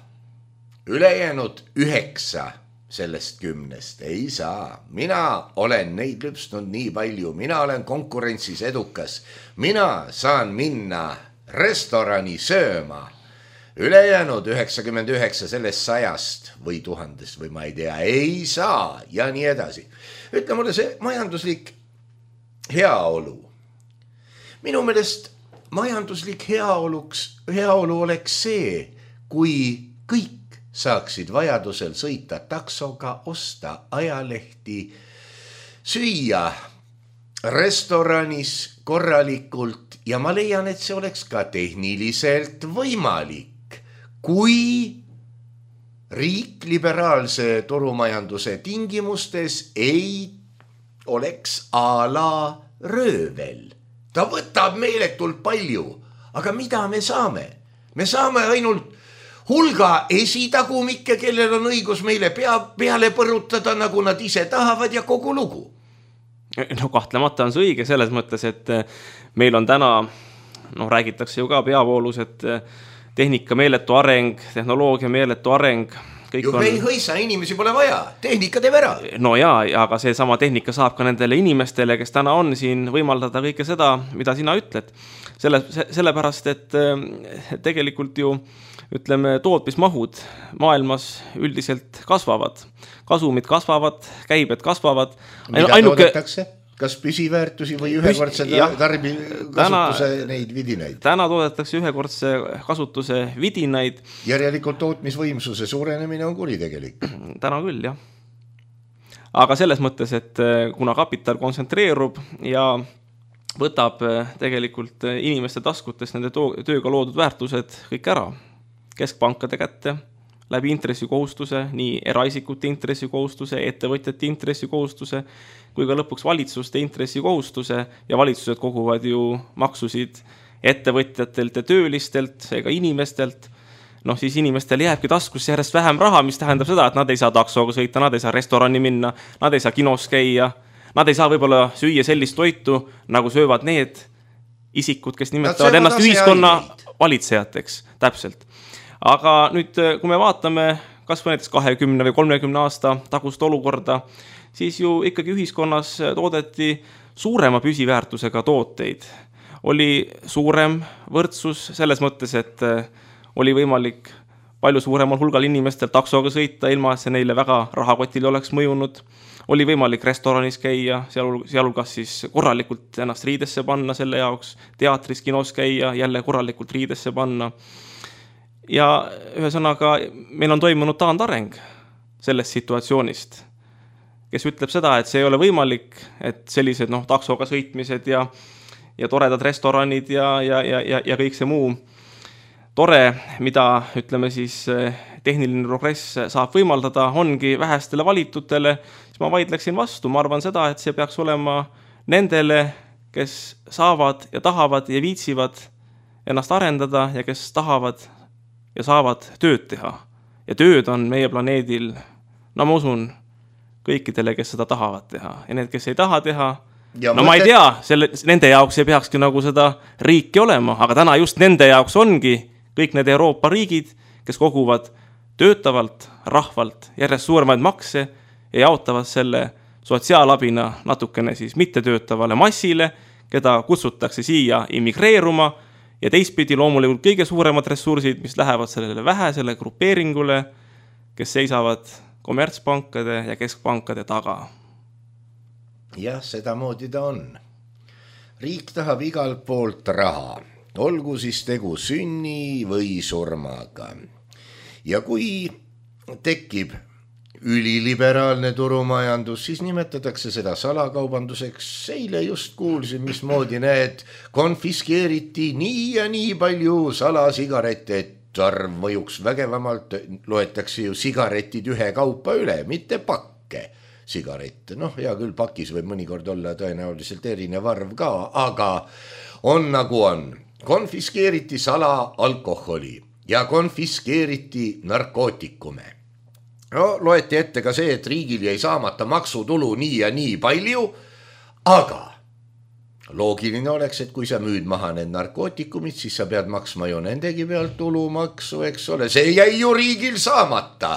Ülejäänud 9 sellest 10 ei saa. Mina olen neid lüpsnud nii palju. Mina olen konkurentsis edukas. Mina saan minna restorani sööma. Ülejäänud 99 sellest 100 või 1000 või ma ei tea, ei saa ja nii edasi. Ütle mulle see majanduslik heaolu. Minu meelest majanduslik heaolu oleks see, kui kõik saaksid vajadusel sõita taksoga, osta ajalehti, süüa restoranis korralikult ja ma leian, et see oleks ka tehniliselt võimalik. Kui riik liberaalse turumajanduse tingimustes ei oleks a la röövel. Ta võtab meeletult palju, aga mida me saame? Me saame ainult hulga esitagumikke, kellel on õigus meile peale põrutada, nagu nad ise tahavad ja kogu lugu. No kahtlemata on see õige selles mõttes, et meil on täna, räägitakse ju ka peavoolus, et tehnika meeletu areng, tehnoloogia meeletu areng, kõik ju ei hõisa, inimesi pole vaja, tehnika teeb ära. No jaa, aga see sama tehnika saab ka nendele inimestele, kes täna on siin, võimaldada kõike seda, mida sina ütled. Sellepärast, et tegelikult ju ütleme, tootmismahud maailmas üldiselt kasvavad. Kasumid kasvavad, käibed kasvavad. Mida toodetakse? Kas püsiväärtusi või ühekordse kasutuse neid vidinaid? Täna toodetakse ühekordse kasutuse vidinaid. Järelikult tootmisvõimsuse suurenemine on kuritegelik. Täna küll, jah. Aga selles mõttes, et kuna kapital kontsentreerub ja võtab tegelikult inimeste taskutest nende tööga loodud väärtused kõik ära keskpankade kätte, läbi intressikohustuse, nii eraisikute intressikohustuse, ettevõtjate intressikohustuse, kui ka lõpuks valitsuste intressikohustuse ja valitsused koguvad ju maksusid ettevõtjatelt ja töölistelt, ega inimestelt. Noh, siis inimestel jääbki taskusse järjest vähem raha, mis tähendab seda, et nad ei saa taksoga sõita, nad ei saa restorani minna, nad ei saa kinos käia, nad ei saa võib-olla süüa sellist toitu, nagu söövad need isikud, kes nimetavad ennast ühiskonna valitsejateks, täpselt. Aga nüüd, kui me vaatame kas või näiteks 20 või 30 aasta tagust olukorda, siis ju ikkagi ühiskonnas toodeti suurema püsiväärtusega tooteid. Oli suurem võrdsus selles mõttes, et oli võimalik palju suuremal hulgal inimestel taksoga sõita, ilma et see neile väga rahakotile oleks mõjunud. Oli võimalik restoranis käia, sealhulgas siis korralikult ennast riidesse panna selle jaoks, teatris, kinos käia, jälle korralikult riidesse panna. Ja ühesõnaga, meil on toimunud taandareng sellest situatsioonist, kes ütleb seda, et see ei ole võimalik, et sellised taksoga sõitmised ja toredad restoranid ja kõik see muu tore, mida ütleme siis tehniline progress saab võimaldada, ongi vähestele valitutele, siis ma vaidleksin vastu. Ma arvan seda, et see peaks olema nendele, kes saavad ja tahavad ja viitsivad ennast arendada ja kes tahavad ja saavad tööd teha. Ja tööd on meie planeedil, no ma usun, kõikidele, kes seda tahavad teha. Ja need, kes ei taha teha, ma ei tea, nende jaoks ei peakski nagu seda riiki olema, aga täna just nende jaoks ongi kõik need Euroopa riigid, kes koguvad töötavalt, rahvalt järjest suuremaid makse ja jaotavad selle sotsiaalabina natukene siis mittetöötavale massile, keda kutsutakse siia immigreeruma ja teistpidi loomulikult kõige suuremad ressursid, mis lähevad sellele vähesele grupeeringule, kes seisavad kommertspankade ja keskpankade taga. Jah, seda moodi ta on. Riik tahab igalt poolt raha, olgu siis tegu sünni või surmaga. Ja kui tekib üliliberaalne turumajandus, siis nimetatakse seda salakaubanduseks. Eile just kuulsin, mismoodi need konfiskeeriti nii ja nii palju salasigarette, et arv mõjuks vägevamalt. Loetakse ju sigaretid ühe kaupa üle, mitte pakke sigarette. Noh, hea küll, pakis võib mõnikord olla tõenäoliselt erinev arv ka, aga on nagu on. Konfiskeeriti salaalkoholi ja konfiskeeriti narkootikume. No, loeti ette ka see, et riigil jäi saamata maksutulu nii ja nii palju, aga loogiline oleks, et kui sa müüd maha need narkootikumid, siis sa pead maksma ju nendegi pealt tulumaksu, eks ole. See jäi ju riigil saamata.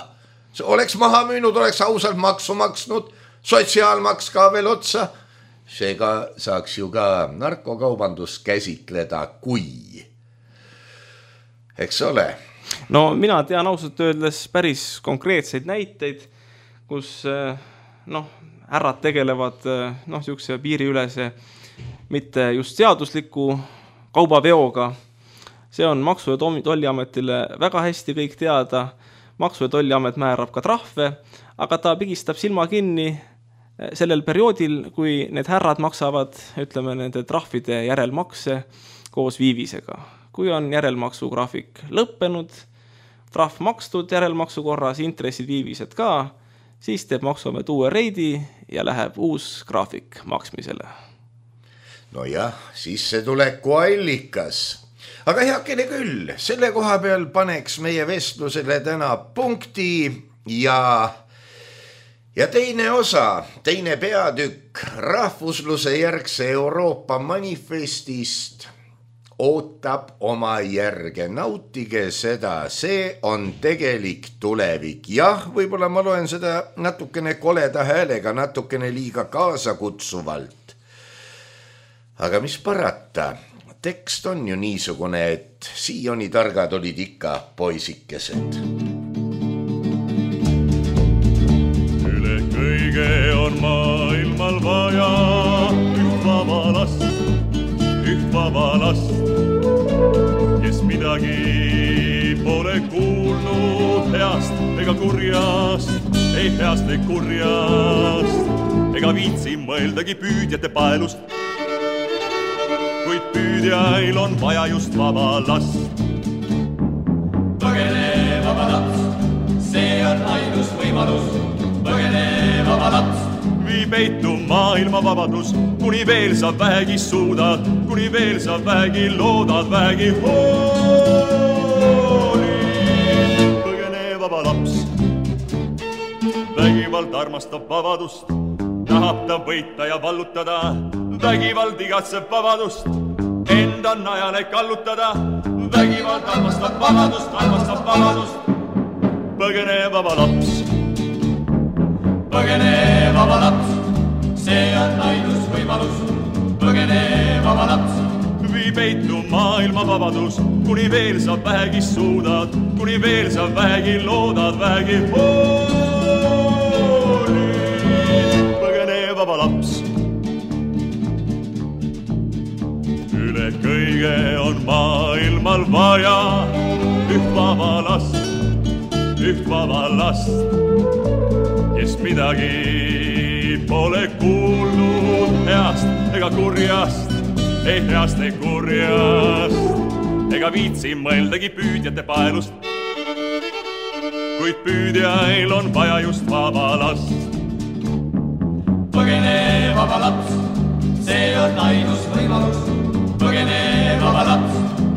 Oleks maha müünud, oleks ausalt maksu maksnud, sotsiaalmaks ka veel otsa. Seega saaks ju ka narkokaubandus käsitleda kui. Eks ole? No mina tean ausalt öeldes päris konkreetseid näiteid, kus härrad tegelevad siukse piiriülese mitte just seadusliku kaubaveoga. See on Maksu- ja Tolliametile väga hästi kõik teada. Maksu- ja Tolliamet määrab ka trahve, aga ta pigistab silma kinni sellel perioodil, kui need härrad maksavad, ütleme, nende trahvide järelmakse koos viivisega. Kui on järelmaksugraafik lõppenud, trahv makstud järelmaksu korras, intressid viivised ka, siis teeb Maksuamet uue reidi ja läheb uus graafik maksmisele. No jah, sissetuleku allikas. Aga heakene küll, selle koha peal paneks meie vestlusele täna punkti ja teine osa, teine peatükk rahvusluse järgse Euroopa manifestist ootab oma järge, nautige seda, see on tegelik tulevik. Jah, võib-olla ma loen seda natukene koleda häälega, natukene liiga kaasakutsuvalt. Aga mis parata, tekst on ju niisugune, et siiani targad olid ikka poisikesed. Üle kõige on maailmal vaja üht vaba last, kes midagi pole kuulnud heast ega kurjast, ei heast ega kurjast, ega viitsi mõeldagi püüdjate paelust. Kuid püüdjail on vaja just vaba last. Põgene vaba laps, see on ainus võimalus. Põgene vaba laps. Vii peitu maailma vabadus, kuni veel sa vähegi suudad, kuni veel sa vähegi loodad, vähegi hoolid. Põgene vaba laps, vägivald armastab vabadust, tahab ta võita ja vallutada, vägivald igatseb vabadust, enda najale kallutada, vägivald armastab vabadust. Põgene vaba laps. Põgene vaba laps, see on ainus võimalus. Põgene vaba laps. Vii peitu maailma vabadus, kuni veel sa vähegi suudad, kuni veel sa vähegi loodad, vähegi hoolid. Põgene vaba laps. Üle kõige on maailmal vaja üht vaba last, kes midagi pole kuulnud heast ega kurjast, ei heast ega kurjast, ega viitsi mõeldagi püüdjate paelust. Kuid püüdjail on vaja just vaba last. Põgene vaba laps, see on ainus võimalus. Põgene vaba laps.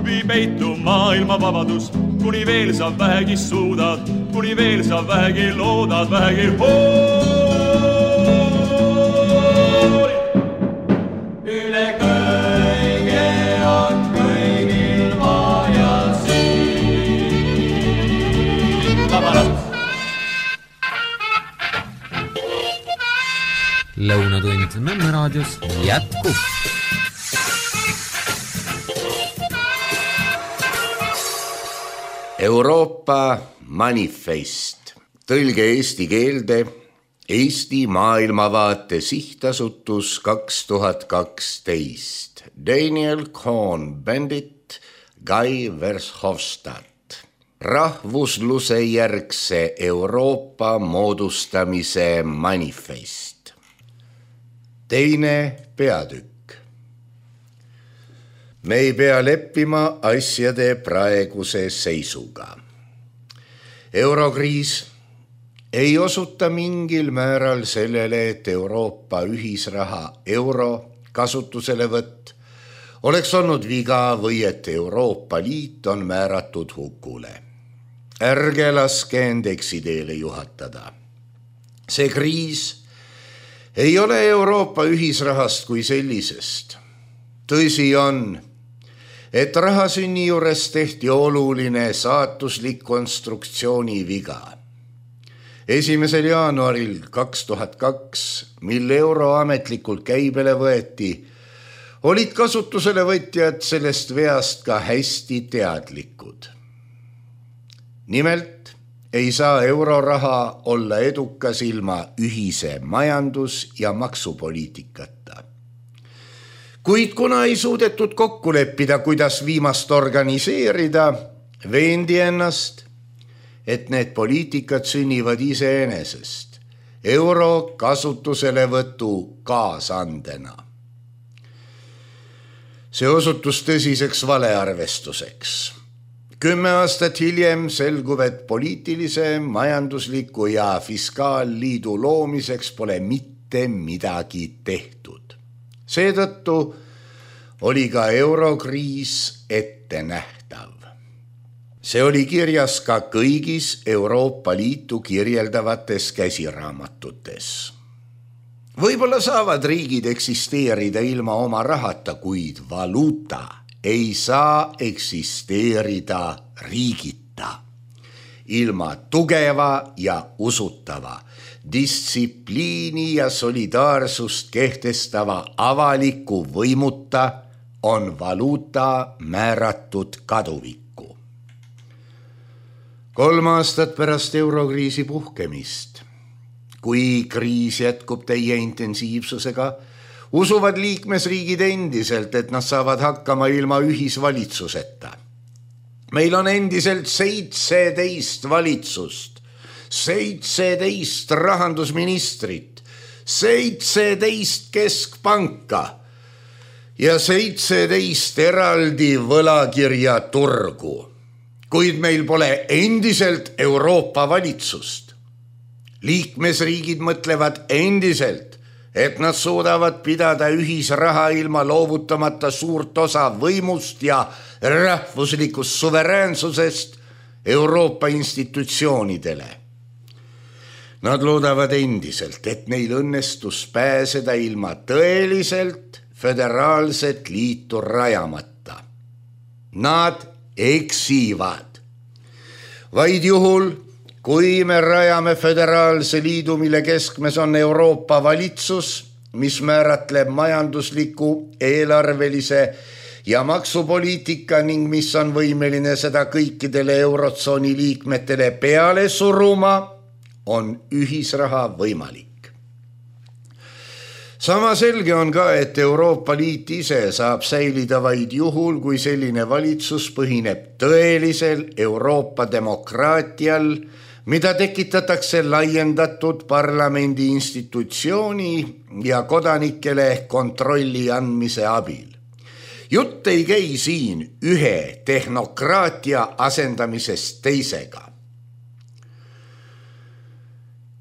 Vii peitu maailma vabadus, kuni veel sa vähegi suudad, kuni veel sa vähegi loodad, vähegi hoolid. Üle kõige on kõigil vaja siin vaba laps. Lõunatund Nõmme raadios jätkub. Euroopa manifest, tõlge eesti keelde, Eesti maailmavaate sihtasutus 2012, Daniel Cohn-Bendit, Guy Verhofstadt. Rahvusluse järgse Euroopa moodustamise manifest. Teine peatükk. Me ei pea leppima asjade praeguse seisuga. Eurokriis ei osuta mingil määral sellele, et Euroopa ühisraha euro kasutuselevõtt oleks olnud viga või et Euroopa Liit on määratud hukule. Ärge laske end eksiteele juhatada. See kriis ei ole Euroopa ühisrahast kui sellisest. Tõsi on, et rahasünni juures tehti oluline saatuslik konstruktsiooni viga. 1. jaanuaril 2002, mil euro ametlikult käibele võeti, olid kasutusele võtjad sellest veast ka hästi teadlikud. Nimelt ei saa euroraha olla edukas ilma ühise majandus- ja maksupoliitikata. Kuid kuna ei suudetud kokku leppida, kuidas viimast organiseerida, veendi ennast, et need poliitikad sünnivad iseenesest euro kasutuselevõtu kaasandena. See osutus tõsiseks valearvestuseks. 10 aastat hiljem selgub, et poliitilise, majandusliku ja fiskaalliidu loomiseks pole mitte midagi tehtud. Seetõttu oli ka eurokriis ette nähtav. See oli kirjas ka kõigis Euroopa Liitu kirjeldavates käsiraamatutes. Võib-olla saavad riigid eksisteerida ilma oma rahata, kuid valuuta ei saa eksisteerida riigita. Ilma tugeva ja usutava, distsipliini ja solidaarsust kehtestava avaliku võimuta on valuuta määratud kaduvikku. 3 aastat pärast eurokriisi puhkemist, kui kriis jätkub täie intensiivsusega, usuvad liikmesriigid endiselt, et nad saavad hakkama ilma ühisvalitsuseta. Meil on endiselt 17 valitsust, 17 rahandusministrit, 17 keskpanka ja 17 eraldi võlakirjaturgu, kuid meil pole endiselt Euroopa valitsust. Liikmesriigid mõtlevad endiselt, et nad suudavad pidada ühisraha ilma loovutamata suurt osa võimust ja rahvuslikust suveräänsusest Euroopa institutsioonidele. Nad loodavad endiselt, et neil õnnestus pääseda ilma tõeliselt föderaalset liitu rajamata. Nad eksivad. Vaid juhul, kui me rajame föderaalse liidu, mille keskmes on Euroopa valitsus, mis määratleb majandusliku, eelarvelise ja maksupoliitika ning mis on võimeline seda kõikidele eurotsooni liikmetele peale suruma, on ühisraha võimalik. Sama selge on ka, et Euroopa Liit ise saab säilida vaid juhul, kui selline valitsus põhineb tõelisel Euroopa demokraatial, mida tekitatakse laiendatud parlamendi institutsiooni ja kodanikele kontrolli andmise abil. Jutt ei käi siin ühe tehnokraatia asendamisest teisega.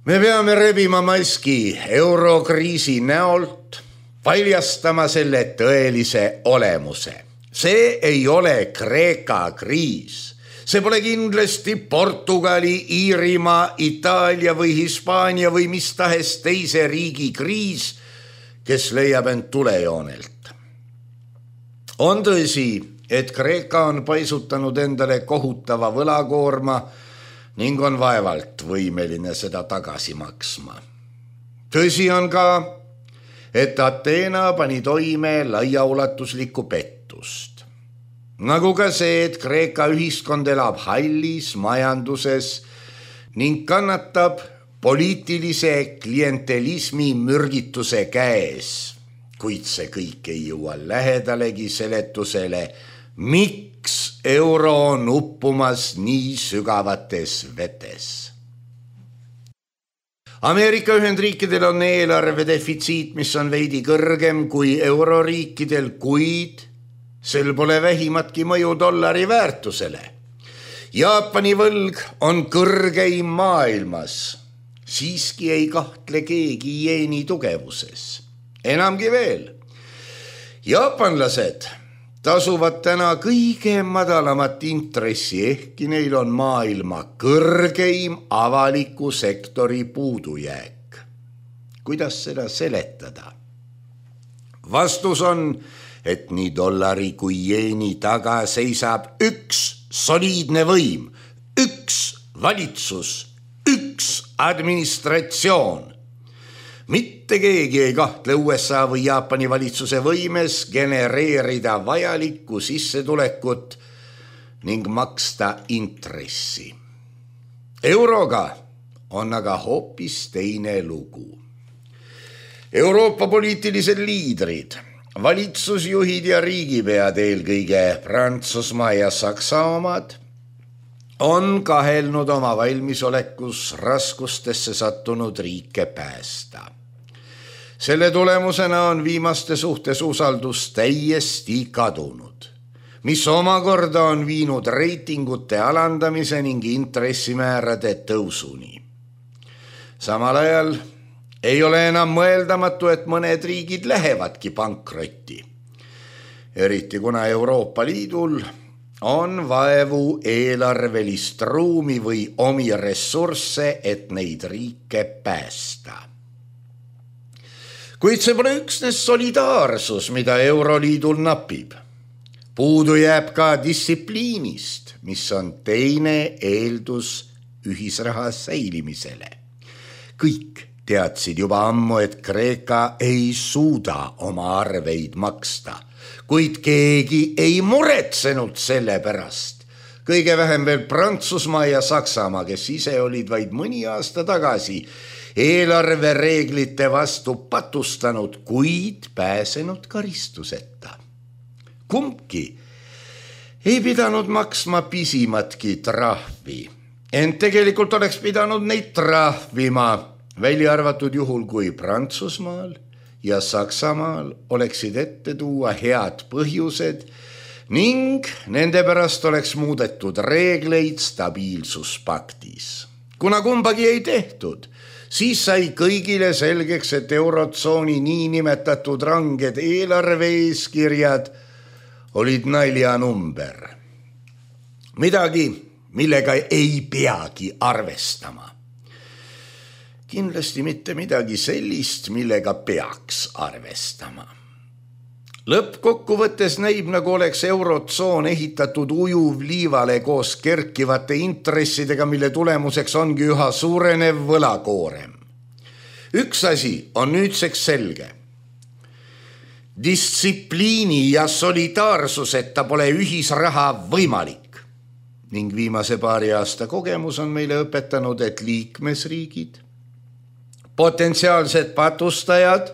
Me peame rebima maski eurokriisi näolt, paljastama selle tõelise olemuse. See ei ole Kreeka kriis. See pole kindlasti Portugali, Iirimaa, Itaalia või Hispaania või mis tahes teise riigi kriis, kes leiab end tulejoonelt. On tõsi, et Kreeka on paisutanud endale kohutava võlakoorma ning on vaevalt võimeline seda tagasi maksma. Tõsi on ka, et Ateena pani toime laiaulatuslikku pettust. Nagu ka see, et Kreeka ühiskond elab hallis majanduses ning kannatab poliitilise klientelismi mürgituse käes, kuid see kõik ei jõua lähedalegi seletusele, miks euro on uppumas nii sügavates vetes. Ameerika Ühendriikidel on eelarve defitsiit, mis on veidi kõrgem kui euroriikidel, kuid sel pole vähimatki mõju dollari väärtusele. Jaapani võlg on kõrgeim maailmas. Siiski ei kahtle keegi jeeni tugevuses. Enamgi veel. Jaapanlased tasuvad täna kõige madalamat intressi, ehkki neil on maailma kõrgeim avaliku sektori puudujääk. Kuidas seda seletada? Vastus on, et nii dollari kui jeeni taga seisab üks soliidne võim, üks valitsus, üks administratsioon. Mitte keegi ei kahtle USA või Jaapani valitsuse võimes genereerida vajalikku sissetulekut ning maksta intressi. Euroga on aga hoopis teine lugu. Euroopa poliitilised liidrid, valitsusjuhid ja riigipead, eelkõige Prantsusmaa ja Saksa omad, on kahelnud oma valmisolekus raskustesse sattunud riike päästa. Selle tulemusena on viimaste suhtes usaldus täiesti kadunud, mis omakorda on viinud reitingute alandamise ning intressimäärade tõusuni. Samal ajal ei ole enam mõeldamatu, et mõned riigid lähevadki pankrotti. Eriti kuna Euroopa Liidul on vaevu eelarvelist ruumi või omi ressursse, et neid riike päästa. Kuid see pole üksnes solidaarsus, mida Euroliidul napib. Puudu jääb ka distsipliinist, mis on teine eeldus ühisraha säilimisele. Kõik teadsid juba ammu, et Kreeka ei suuda oma arveid maksta, kuid keegi ei muretsenud selle pärast. Kõige vähem veel Prantsusmaa ja Saksamaa, kes ise olid vaid mõni aasta tagasi eelarvereeglite vastu patustanud, kuid pääsenud karistuseta. Kumbki ei pidanud maksma pisimatki trahvi, ent tegelikult oleks pidanud neid trahvima, välja arvatud juhul, kui Prantsusmaal ja Saksamaal oleksid ette tuua head põhjused ning nende pärast oleks muudetud reegleid stabiilsuspaktis. Kuna kumbagi ei tehtud, siis sai kõigile selgeks, et eurotsooni niinimetatud ranged eelarve eeskirjad olid naljanumber. Midagi, millega ei peagi arvestama. Kindlasti mitte midagi sellist, millega peaks arvestama. Lõppkokkuvõttes näib, nagu oleks eurotsoon ehitatud ujuvliivale koos kerkivate intressidega, mille tulemuseks ongi üha suurenev võlakoorem. Üks asi on nüüdseks selge. Distsipliini ja solidaarsuseta pole ühisraha võimalik. Ning viimase paari aasta kogemus on meile õpetanud, et liikmesriigid, potentsiaalsed patustajad,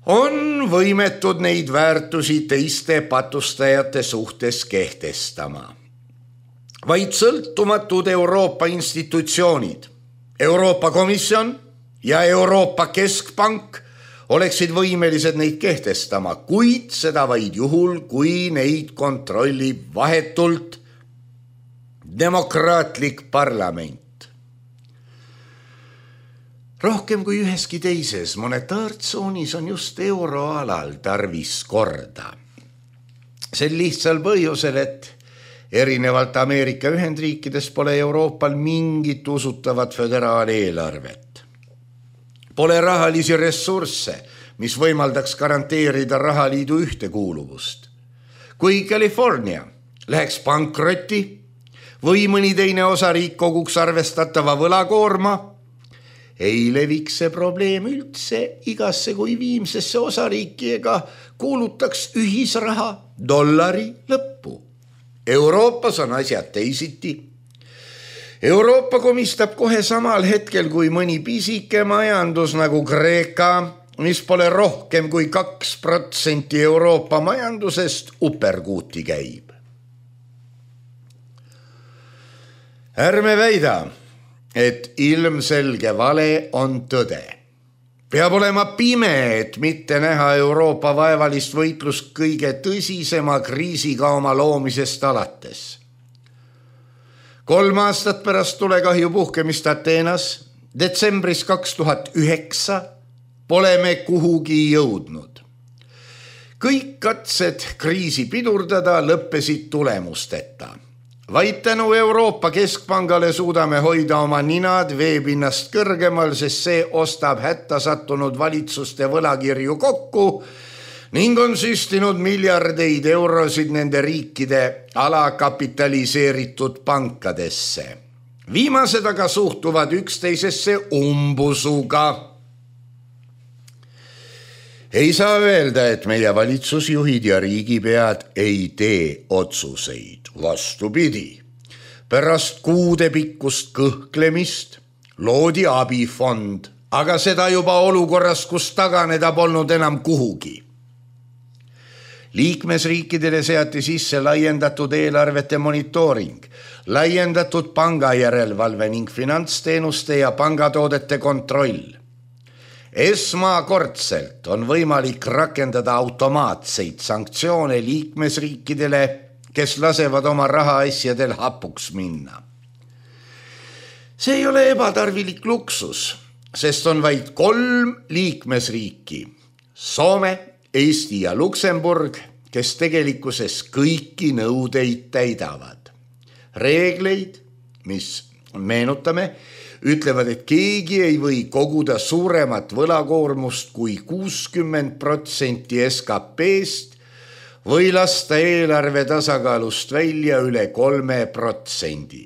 on võimetud neid väärtusi teiste patustajate suhtes kehtestama. Vaid sõltumatud Euroopa institutsioonid, Euroopa Komisjon ja Euroopa Keskpank oleksid võimelised neid kehtestama, kuid seda vaid juhul, kui neid kontrollib vahetult demokraatlik parlament. Rohkem kui üheski teises monetaartsoonis on just euroalal tarvis korda. Sel lihtsal põhjusel, et erinevalt Ameerika Ühendriikides pole Euroopal mingit usutavat föderaaleelarvet. Pole rahalisi ressursse, mis võimaldaks garanteerida rahaliidu ühtekuuluvust. Kui California läheks pankrotti või mõni teine osariik koguks arvestatava võlakoorma, ei leviks see probleem üldse igasse kui viimsesse osariiki ega kuulutaks ühisraha dollari lõppu. Euroopas on asjad teisiti. Euroopa komistab kohe samal hetkel, kui mõni pisike majandus nagu Kreeka, mis pole rohkem kui 2% Euroopa majandusest, uperkuuti käib. Ärme väida, et ilmselge vale on tõde. Peab olema pime, et mitte näha Euroopa vaevalist võitlust kõige tõsisema kriisiga oma loomisest alates. 3 aastat pärast tulekahju puhkemist Ateenas, detsembris 2009, pole me kuhugi jõudnud. Kõik katsed kriisi pidurdada lõppesid tulemusteta. Vaid tänu Euroopa Keskpangale suudame hoida oma ninad veepinnast kõrgemal, sest see ostab hätta sattunud valitsuste võlakirju kokku ning on süstinud miljardeid eurosid nende riikide alakapitaliseeritud pankadesse. Viimased aga suhtuvad üksteisesse umbusuga. Ei saa öelda, et meie valitsusjuhid ja riigipead ei tee otsuseid. Vastupidi. Pärast kuude pikkust kõhklemist loodi abifond, aga seda juba olukorras, kus taganeda polnud enam kuhugi. Liikmesriikidele seati sisse laiendatud eelarvete monitooring, laiendatud pangajärelevalve ning finantsteenuste ja pangatoodete kontroll. Esmakordselt on võimalik rakendada automaatseid sanktsioone liikmesriikidele, kes lasevad oma rahaasjadel hapuks minna. See ei ole ebatarvilik luksus, sest on vaid 3 liikmesriiki, Soome, Eesti ja Luksemburg, kes tegelikkuses kõiki nõudeid täidavad. Reegleid, mis meenutame, ütlevad, et keegi ei või koguda suuremat võlakoormust kui 60% SKP-st või lasta eelarve tasakaalust välja üle 3%.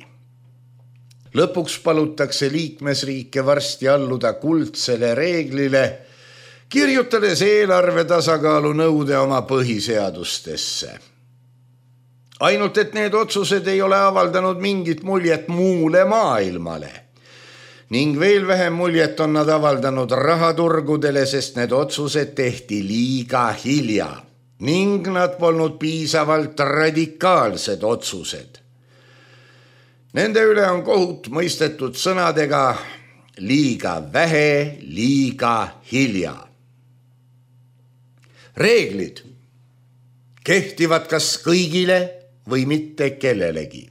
Lõpuks palutakse liikmesriike varsti alluda kuldsele reeglile, kirjutades eelarve tasakaalu nõude oma põhiseadustesse. Ainult, et need otsused ei ole avaldanud mingit muljet muule maailmale ning veel vähem muljet on nad avaldanud rahaturgudele, sest need otsused tehti liiga hilja ning nad polnud piisavalt radikaalsed otsused. Nende üle on kohut mõistetud sõnadega liiga vähe, liiga hilja. Reeglid kehtivad kas kõigile või mitte kellelegi.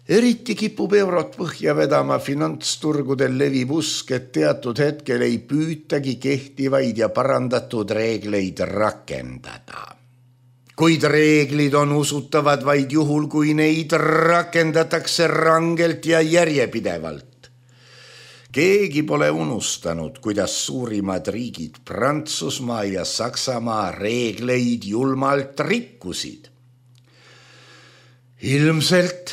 Eriti kipub eurot põhja vedama finantsturgudel levib usk, et teatud hetkel ei püütagi kehtivaid ja parandatud reegleid rakendada. Kuid reeglid on usutavad vaid juhul, kui neid rakendatakse rangelt ja järjepidevalt. Keegi pole unustanud, kuidas suurimad riigid Prantsusmaa ja Saksamaa reegleid julmalt rikkusid. Ilmselt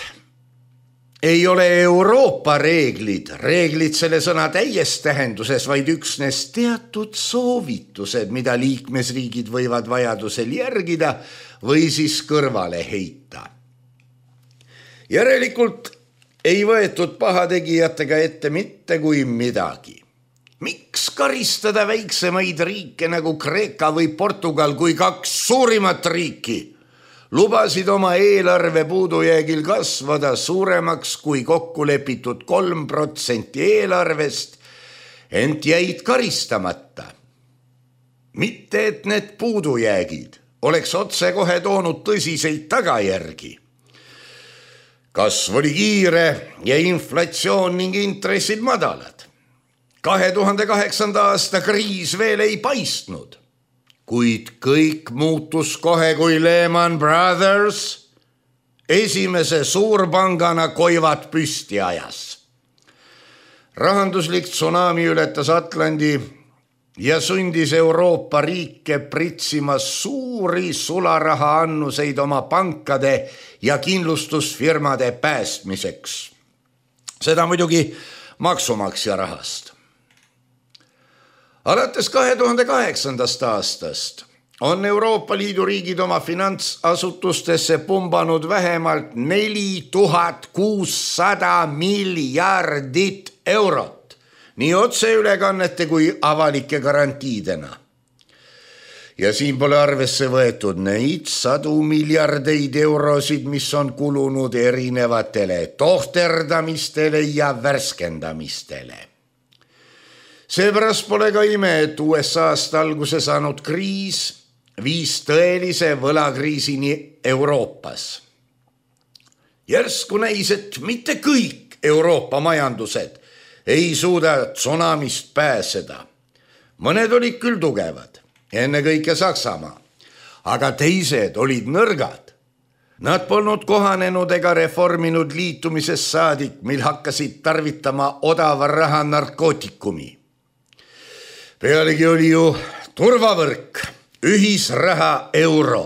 ei ole Euroopa reeglid selle sõna täies tähenduses, vaid üksnes teatud soovitused, mida liikmesriigid võivad vajadusel järgida või siis kõrvale heita. Järelikult ei võetud pahategijatega ette mitte kui midagi. Miks karistada väiksemaid riike nagu Kreeka või Portugal, kui kaks suurimat riiki lubasid oma eelarve puudujäägil kasvada suuremaks kui kokku lepitud 3% eelarvest, ent jäid karistamata. Mitte, et need puudujäägid oleks otsekohe toonud tõsiseid tagajärgi. Kasv oli kiire ja inflatsioon ning intressid madalad. 2008. aasta kriis veel ei paistnud. Kuid kõik muutus kohe, kui Lehman Brothers esimese suurpangana koivad püsti ajas. Rahanduslik tsunami ületas Atlandi ja sundis Euroopa riike pritsima suuri sularaha annuseid oma pankade ja kindlustusfirmade päästmiseks. Seda muidugi maksumaksja rahast. Alates 2008. aastast on Euroopa Liidu riigid oma finantsasutustesse pumbanud vähemalt 4600 miljardit eurot, nii otseülekannete kui avalike garantiidena. Ja siin pole arvesse võetud neid 100 miljardeid eurosid, mis on kulunud erinevatele tohterdamistele ja värskendamistele. Seepärast pole ka ime, et USA-st alguse saanud kriis viis tõelise võlakriisini Euroopas. Järsku näis, et mitte kõik Euroopa majandused ei suuda tsunamist pääseda. Mõned olid küll tugevad, ennekõike Saksamaa, aga teised olid nõrgad. Nad polnud kohanenud ega reforminud liitumisest saadik, mil hakkasid tarvitama odava raha narkootikumi. Pealegi oli ju turvavõrk, ühisraha euro,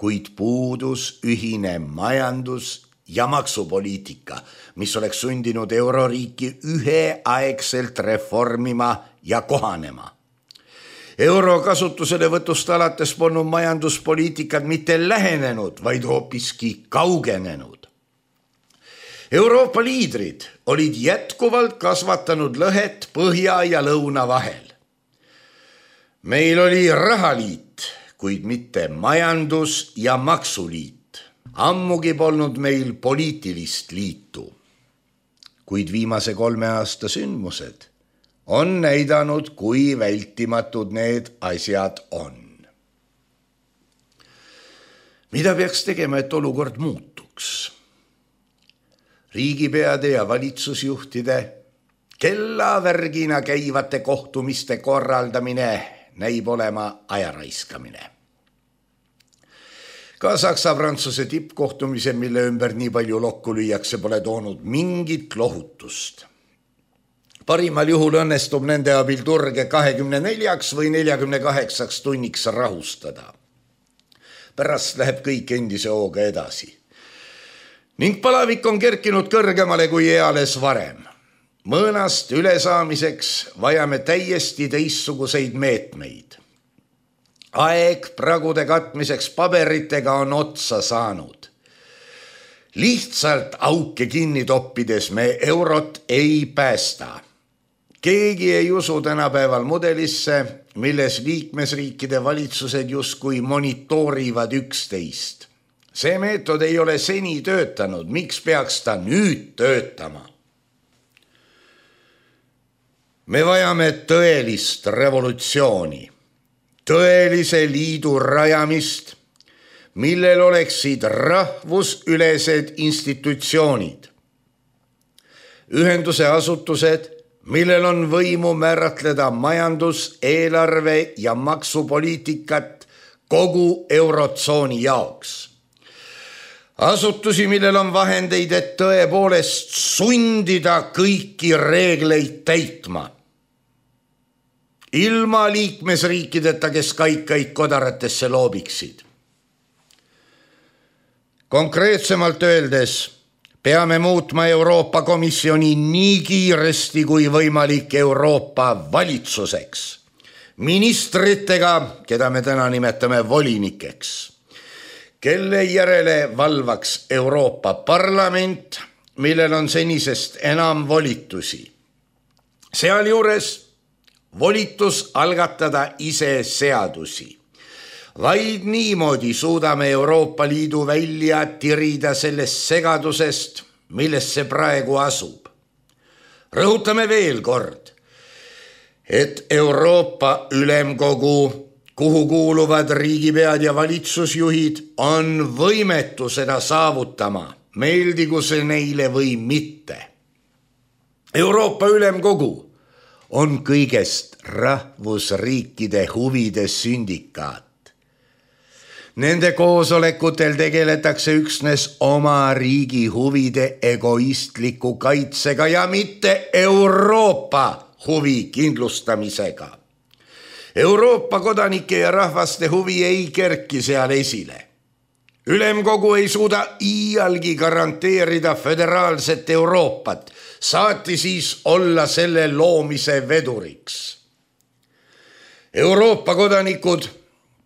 kuid puudus ühine majandus- ja maksupoliitika, mis oleks sundinud euroriiki üheaegselt reformima ja kohanema. Euro kasutusele võtust alates polnud majanduspoliitikad mitte lähenenud, vaid hoopiski kaugenenud. Euroopa liidrid olid jätkuvalt kasvatanud lõhet põhja ja lõuna vahel. Meil oli rahaliit, kuid mitte majandus- ja maksuliit. Ammugi polnud meil poliitilist liitu. Kuid viimase 3 aasta sündmused on näidanud, kui vältimatud need asjad on. Mida peaks tegema, et olukord muutuks? Riigipeade ja valitsusjuhtide kellavärgina käivate kohtumiste korraldamine näib olema ajaraiskamine. Ka Saksa-Prantsuse tippkohtumise, mille ümber nii palju lokku lüüakse, pole toonud mingit lohutust. Parimal juhul õnnestub nende abil turge 24 või 48 tunniks rahustada. pärast läheb kõik endise hooga edasi. Ning palavik on kerkinud kõrgemale kui eales varem. Mõõnast ülesaamiseks vajame täiesti teistsuguseid meetmeid. Aeg pragude katmiseks paberitega on otsa saanud. Lihtsalt auke kinni toppides me eurot ei päästa. Keegi ei usu tänapäeval mudelisse, milles liikmesriikide valitsused justkui monitoorivad üksteist. See meetod ei ole seni töötanud, miks peaks ta nüüd töötama? Me vajame tõelist revolutsiooni, tõelise liidu rajamist, millel oleksid rahvusülesed institutsioonid, ühenduse asutused, millel on võimu määratleda majandus-, eelarve- ja maksupoliitikat kogu eurotsooni jaoks. Asutusi, millel on vahendeid, et tõepoolest sundida kõiki reegleid täitma. Ilma liikmesriikideta, kes kaikaid kodaratesse loobiksid. Konkreetsemalt öeldes peame muutma Euroopa Komisjoni nii kiiresti kui võimalik Euroopa valitsuseks, ministritega, keda me täna nimetame volinikeks, kelle järele valvaks Euroopa Parlament, millel on senisest enam volitusi. Sealjuures volitus algatada ise seadusi. Vaid niimoodi suudame Euroopa Liidu välja tirida sellest segadusest, milles see praegu asub. Rõhutame veel kord, et Euroopa Ülemkogu, kuhu kuuluvad riigipead ja valitsusjuhid, on võimetu seda saavutama, meeldigu see neile või mitte. Euroopa Ülemkogu on kõigest rahvusriikide huvide sündikaat. Nende koosolekutel tegeletakse üksnes oma riigi huvide egoistliku kaitsega ja mitte Euroopa huvi kindlustamisega. Euroopa kodanike ja rahvaste huvi ei kerki seal esile. Ülemkogu ei suuda iialgi garanteerida föderaalset Euroopat, saati siis olla selle loomise veduriks. Euroopa kodanikud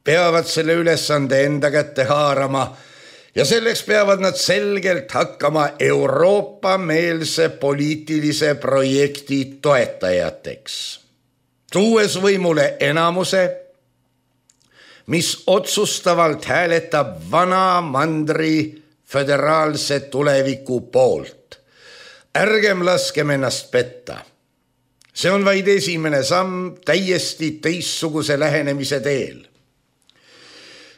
peavad selle ülesande enda kätte haarama ja selleks peavad nad selgelt hakkama Euroopa-meelse poliitilise projekti toetajateks, tuues võimule enamuse, mis otsustavalt hääletab vana mandri föderaalse tuleviku poolt. Ärgem laskem ennast petta. See on vaid esimene samm täiesti teistsuguse lähenemise teel.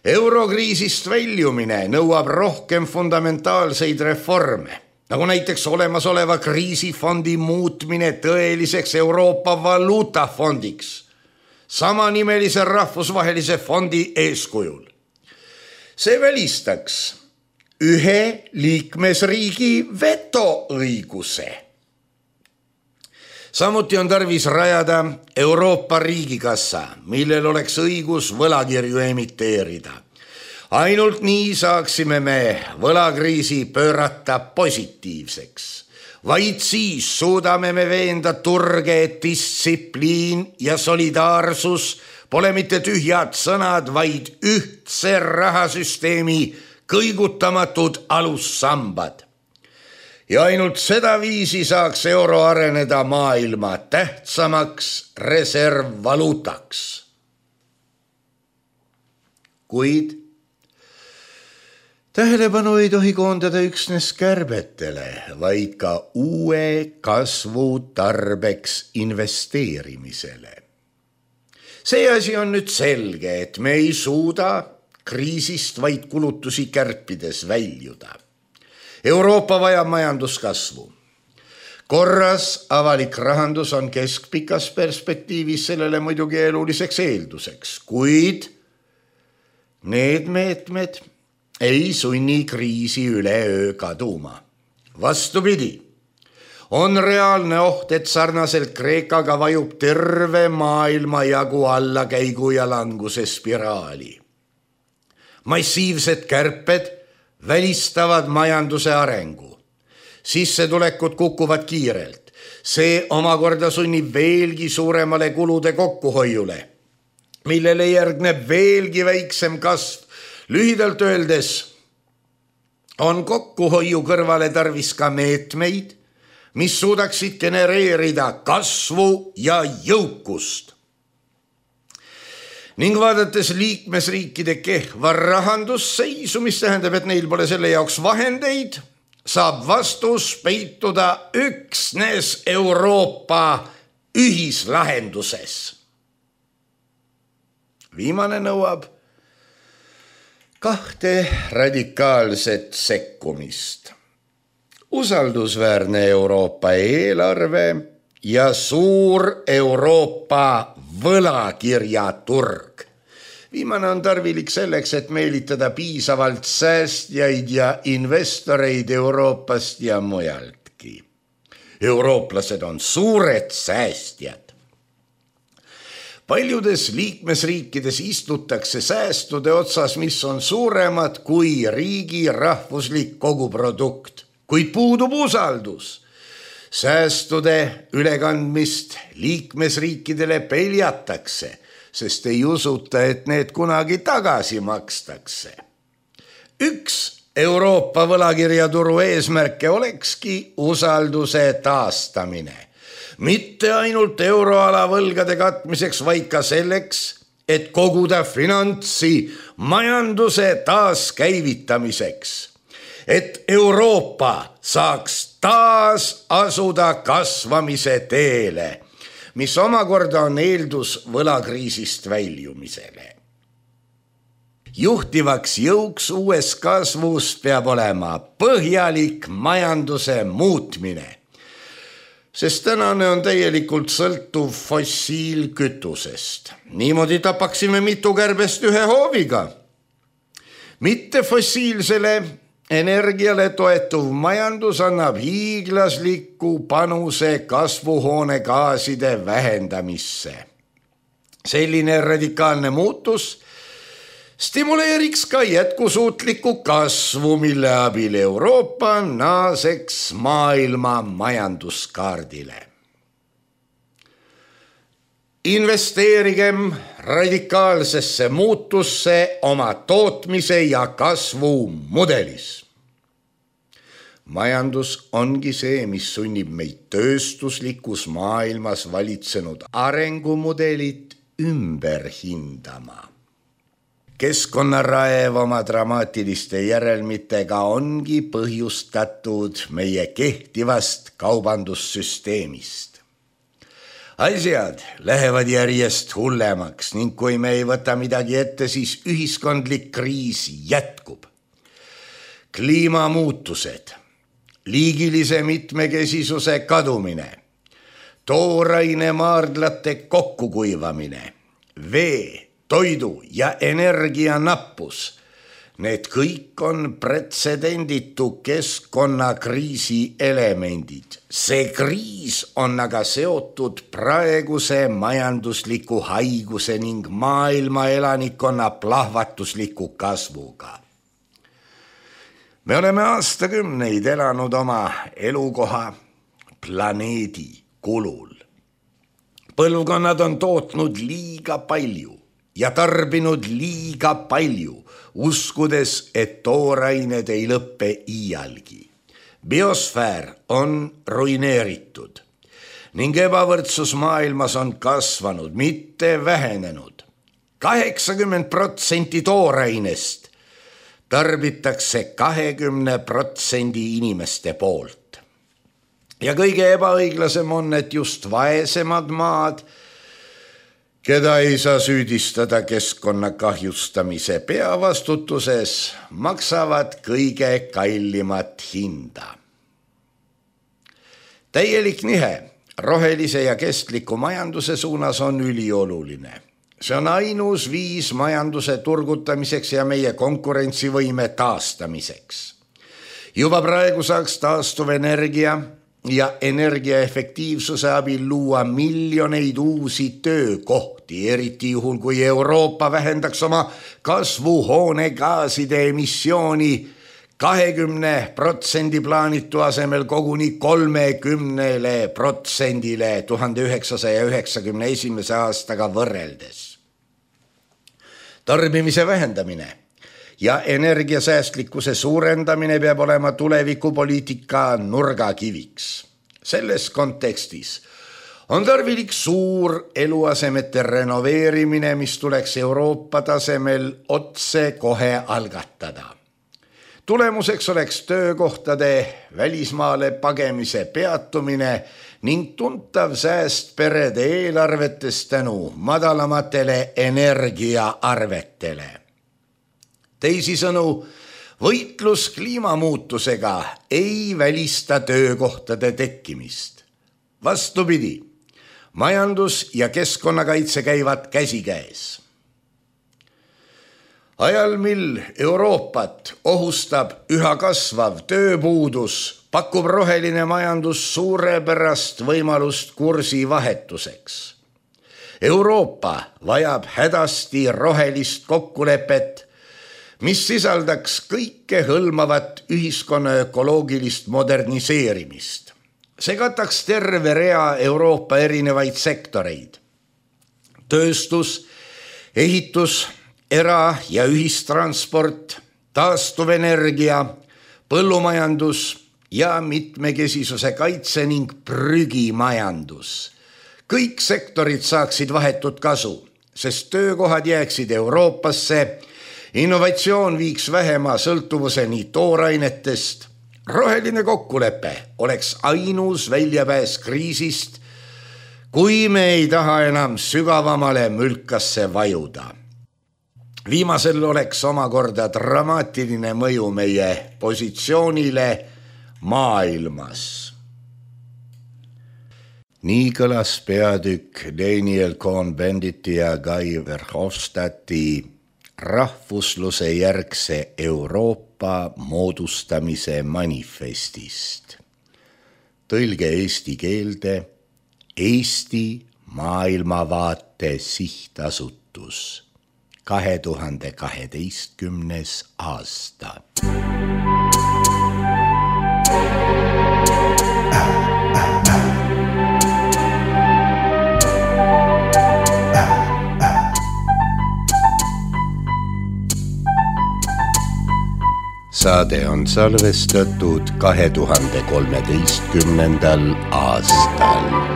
Eurokriisist väljumine nõuab rohkem fundamentaalseid reforme, nagu näiteks olemasoleva kriisifondi muutmine tõeliseks Euroopa valuutafondiks, samanimelise rahvusvahelise fondi eeskujul. See välistaks ühe liikmesriigi vetoõiguse. Samuti on tarvis rajada Euroopa riigikassa, millel oleks õigus võlakirju emiteerida. Ainult nii saaksime me võlakriisi pöörata positiivseks. Vaid siis suudame me veenda turge, et distsipliin ja solidaarsus pole mitte tühjad sõnad, vaid ühtse rahasüsteemi kõigutamatud alussambad. Ja ainult seda viisi saaks euro areneda maailma tähtsamaks reservvaluutaks. Kuid tähelepanu ei tohi koondada üksnes kärbetele, vaid ka uue kasvu tarbeks investeerimisele. See asi on nüüd selge, et me ei suuda kriisist vaid kulutusi kärpides väljuda. Euroopa vajab majanduskasvu. Korras avalik rahandus on keskpikas perspektiivis sellele muidugi eluliseks eelduseks, kuid need meetmed ei sunni kriisi üleöö kaduma. Vastupidi, on reaalne oht, et sarnaselt Kreekaga vajub terve maailma jagu allakäigu ja languse spiraali. massiivsed kärped välistavad majanduse arengu. Sissetulekud kukuvad kiirelt. See omakorda sunnib veelgi suuremale kulude kokkuhoiule, millele järgneb veelgi väiksem kasv. Lühidalt öeldes on kokkuhoiu kõrvale tarvis ka meetmeid, mis suudaksid genereerida kasvu ja jõukust. Ning vaadates liikmesriikide kehva rahandusseisu, mis tähendab, et neil pole selle jaoks vahendeid, saab vastus peituda üksnes Euroopa ühislahenduses. Viimane nõuab 2 radikaalset sekkumist. Usaldusväärne Euroopa eelarve ja suur Euroopa võlakirjaturg. Viimane on tarvilik selleks, et meelitada piisavalt säästjaid ja investoreid Euroopast ja mujaltki. Eurooplased on suured säästjad. Paljudes liikmesriikides istutakse säästude otsas, mis on suuremad kui riigi rahvuslik koguprodukt, kuid puudub usaldus. Säästude ülekandmist liikmesriikidele peljatakse, sest ei usuta, et need kunagi tagasi makstakse. Üks Euroopa võlakirjaturu eesmärke olekski usalduse taastamine. Mitte ainult euroala võlgade katmiseks, vaid ka selleks, et koguda finantsi majanduse taaskäivitamiseks. Et Euroopa saaks taas asuda kasvamise teele, mis omakorda on eeldus võlakriisist väljumisele. Juhtivaks jõuks uues kasvus peab olema põhjalik majanduse muutmine, sest tänane on täielikult sõltuv fossiilkütusest. Niimoodi tapaksime mitu kärbest ühe hooviga. Mitte fossiilsele energiale toetuv majandus annab hiiglasliku panuse kasvuhoonegaaside vähendamisse. Selline radikaalne muutus stimuleeriks ka jätkusuutlikku kasvu, mille abil Euroopa naaseks maailma majanduskaardile. Investeerigem radikaalsesse muutusse oma tootmise ja kasvu mudelis. Majandus ongi see, mis sunnib meid tööstuslikus maailmas valitsenud arengumudelit ümber hindama. Keskkonnaraev oma dramaatiliste järelmitega ongi põhjustatud meie kehtivast kaubandussüsteemist. Asjad lähevad järjest hullemaks ning kui me ei võta midagi ette, siis ühiskondlik kriis jätkub. Kliimamuutused, liigilise mitmekesisuse kadumine, tooraine maardlate kokkukuivamine, vee, toidu ja energia nappus. Need kõik on pretsedenditu keskkonnakriisi elemendid. See kriis on aga seotud praeguse majandusliku haiguse ning maailma elanikkonna plahvatusliku kasvuga. Me oleme aastakümneid elanud oma elukoha planeedi kulul. Põlvkonnad on tootnud liiga palju ja tarbinud liiga palju, uskudes, et toorained ei lõppe iialgi. Biosfäär on ruineeritud ning ebavõrdsus maailmas on kasvanud, mitte vähenenud. 80% toorainest tarbitakse 20% inimeste poolt. Ja kõige ebaõiglasem on, et just vaesemad maad, keda ei saa süüdistada keskkonna kahjustamise peavastutuses, maksavad kõige kallimat hinda. Täielik nihe rohelise ja kestliku majanduse suunas on ülioluline. See on ainus viis majanduse turgutamiseks ja meie konkurentsivõime taastamiseks. Juba praegu saaks taastuvenergia ja energiaefektiivsuse abil luua miljoneid uusi töökohti, eriti juhul, kui Euroopa vähendaks oma kasvuhoonegaaside emissiooni 20% plaanitu asemel koguni 30% 1991. aastaga võrreldes. Tarbimise vähendamine ja energiasäästlikkuse suurendamine peab olema tulevikupoliitika nurgakiviks. Selles kontekstis on tarvilik suur eluasemete renoveerimine, mis tuleks Euroopa tasemel otse kohe algatada. Tulemuseks oleks töökohtade välismaale pagemise peatumine ning tuntav sääst perede eelarvetes tänu madalamatele energiaarvetele. Teisisõnu, võitlus kliimamuutusega ei välista töökohtade tekkimist. Vastupidi, majandus ja keskkonnakaitse käivad käsikäes. Ajal, mil Euroopat ohustab üha kasvav tööpuudus, pakub roheline majandus suurepärast võimalust kursi vahetuseks. Euroopa vajab hädasti rohelist kokkulepet, mis sisaldaks kõike hõlmavat ühiskonna ökoloogilist moderniseerimist. See kataks terve rea Euroopa erinevaid sektoreid. Tööstus, ehitus, era- ja ühistransport, taastuvenergia, põllumajandus ja mitmekesisuse kaitse ning prügimajandus. Kõik sektorid saaksid vahetut kasu, sest töökohad jääksid Euroopasse, innovatsioon viiks vähema sõltuvuseni toorainetest, roheline kokkulepe oleks ainus väljapääs kriisist, kui me ei taha enam sügavamale mülkasse vajuda. Viimasel oleks omakorda dramaatiline mõju meie positsioonile maailmas. Nii kõlas peatükk Daniel Cohn-Benditi ja Guy Verhofstadti rahvusluse järgse Euroopa moodustamise manifestist. Tõlge eesti keelde Eesti maailmavaate sihtasutus 2012. aasta. Saade on salvestatud 2013. aastal.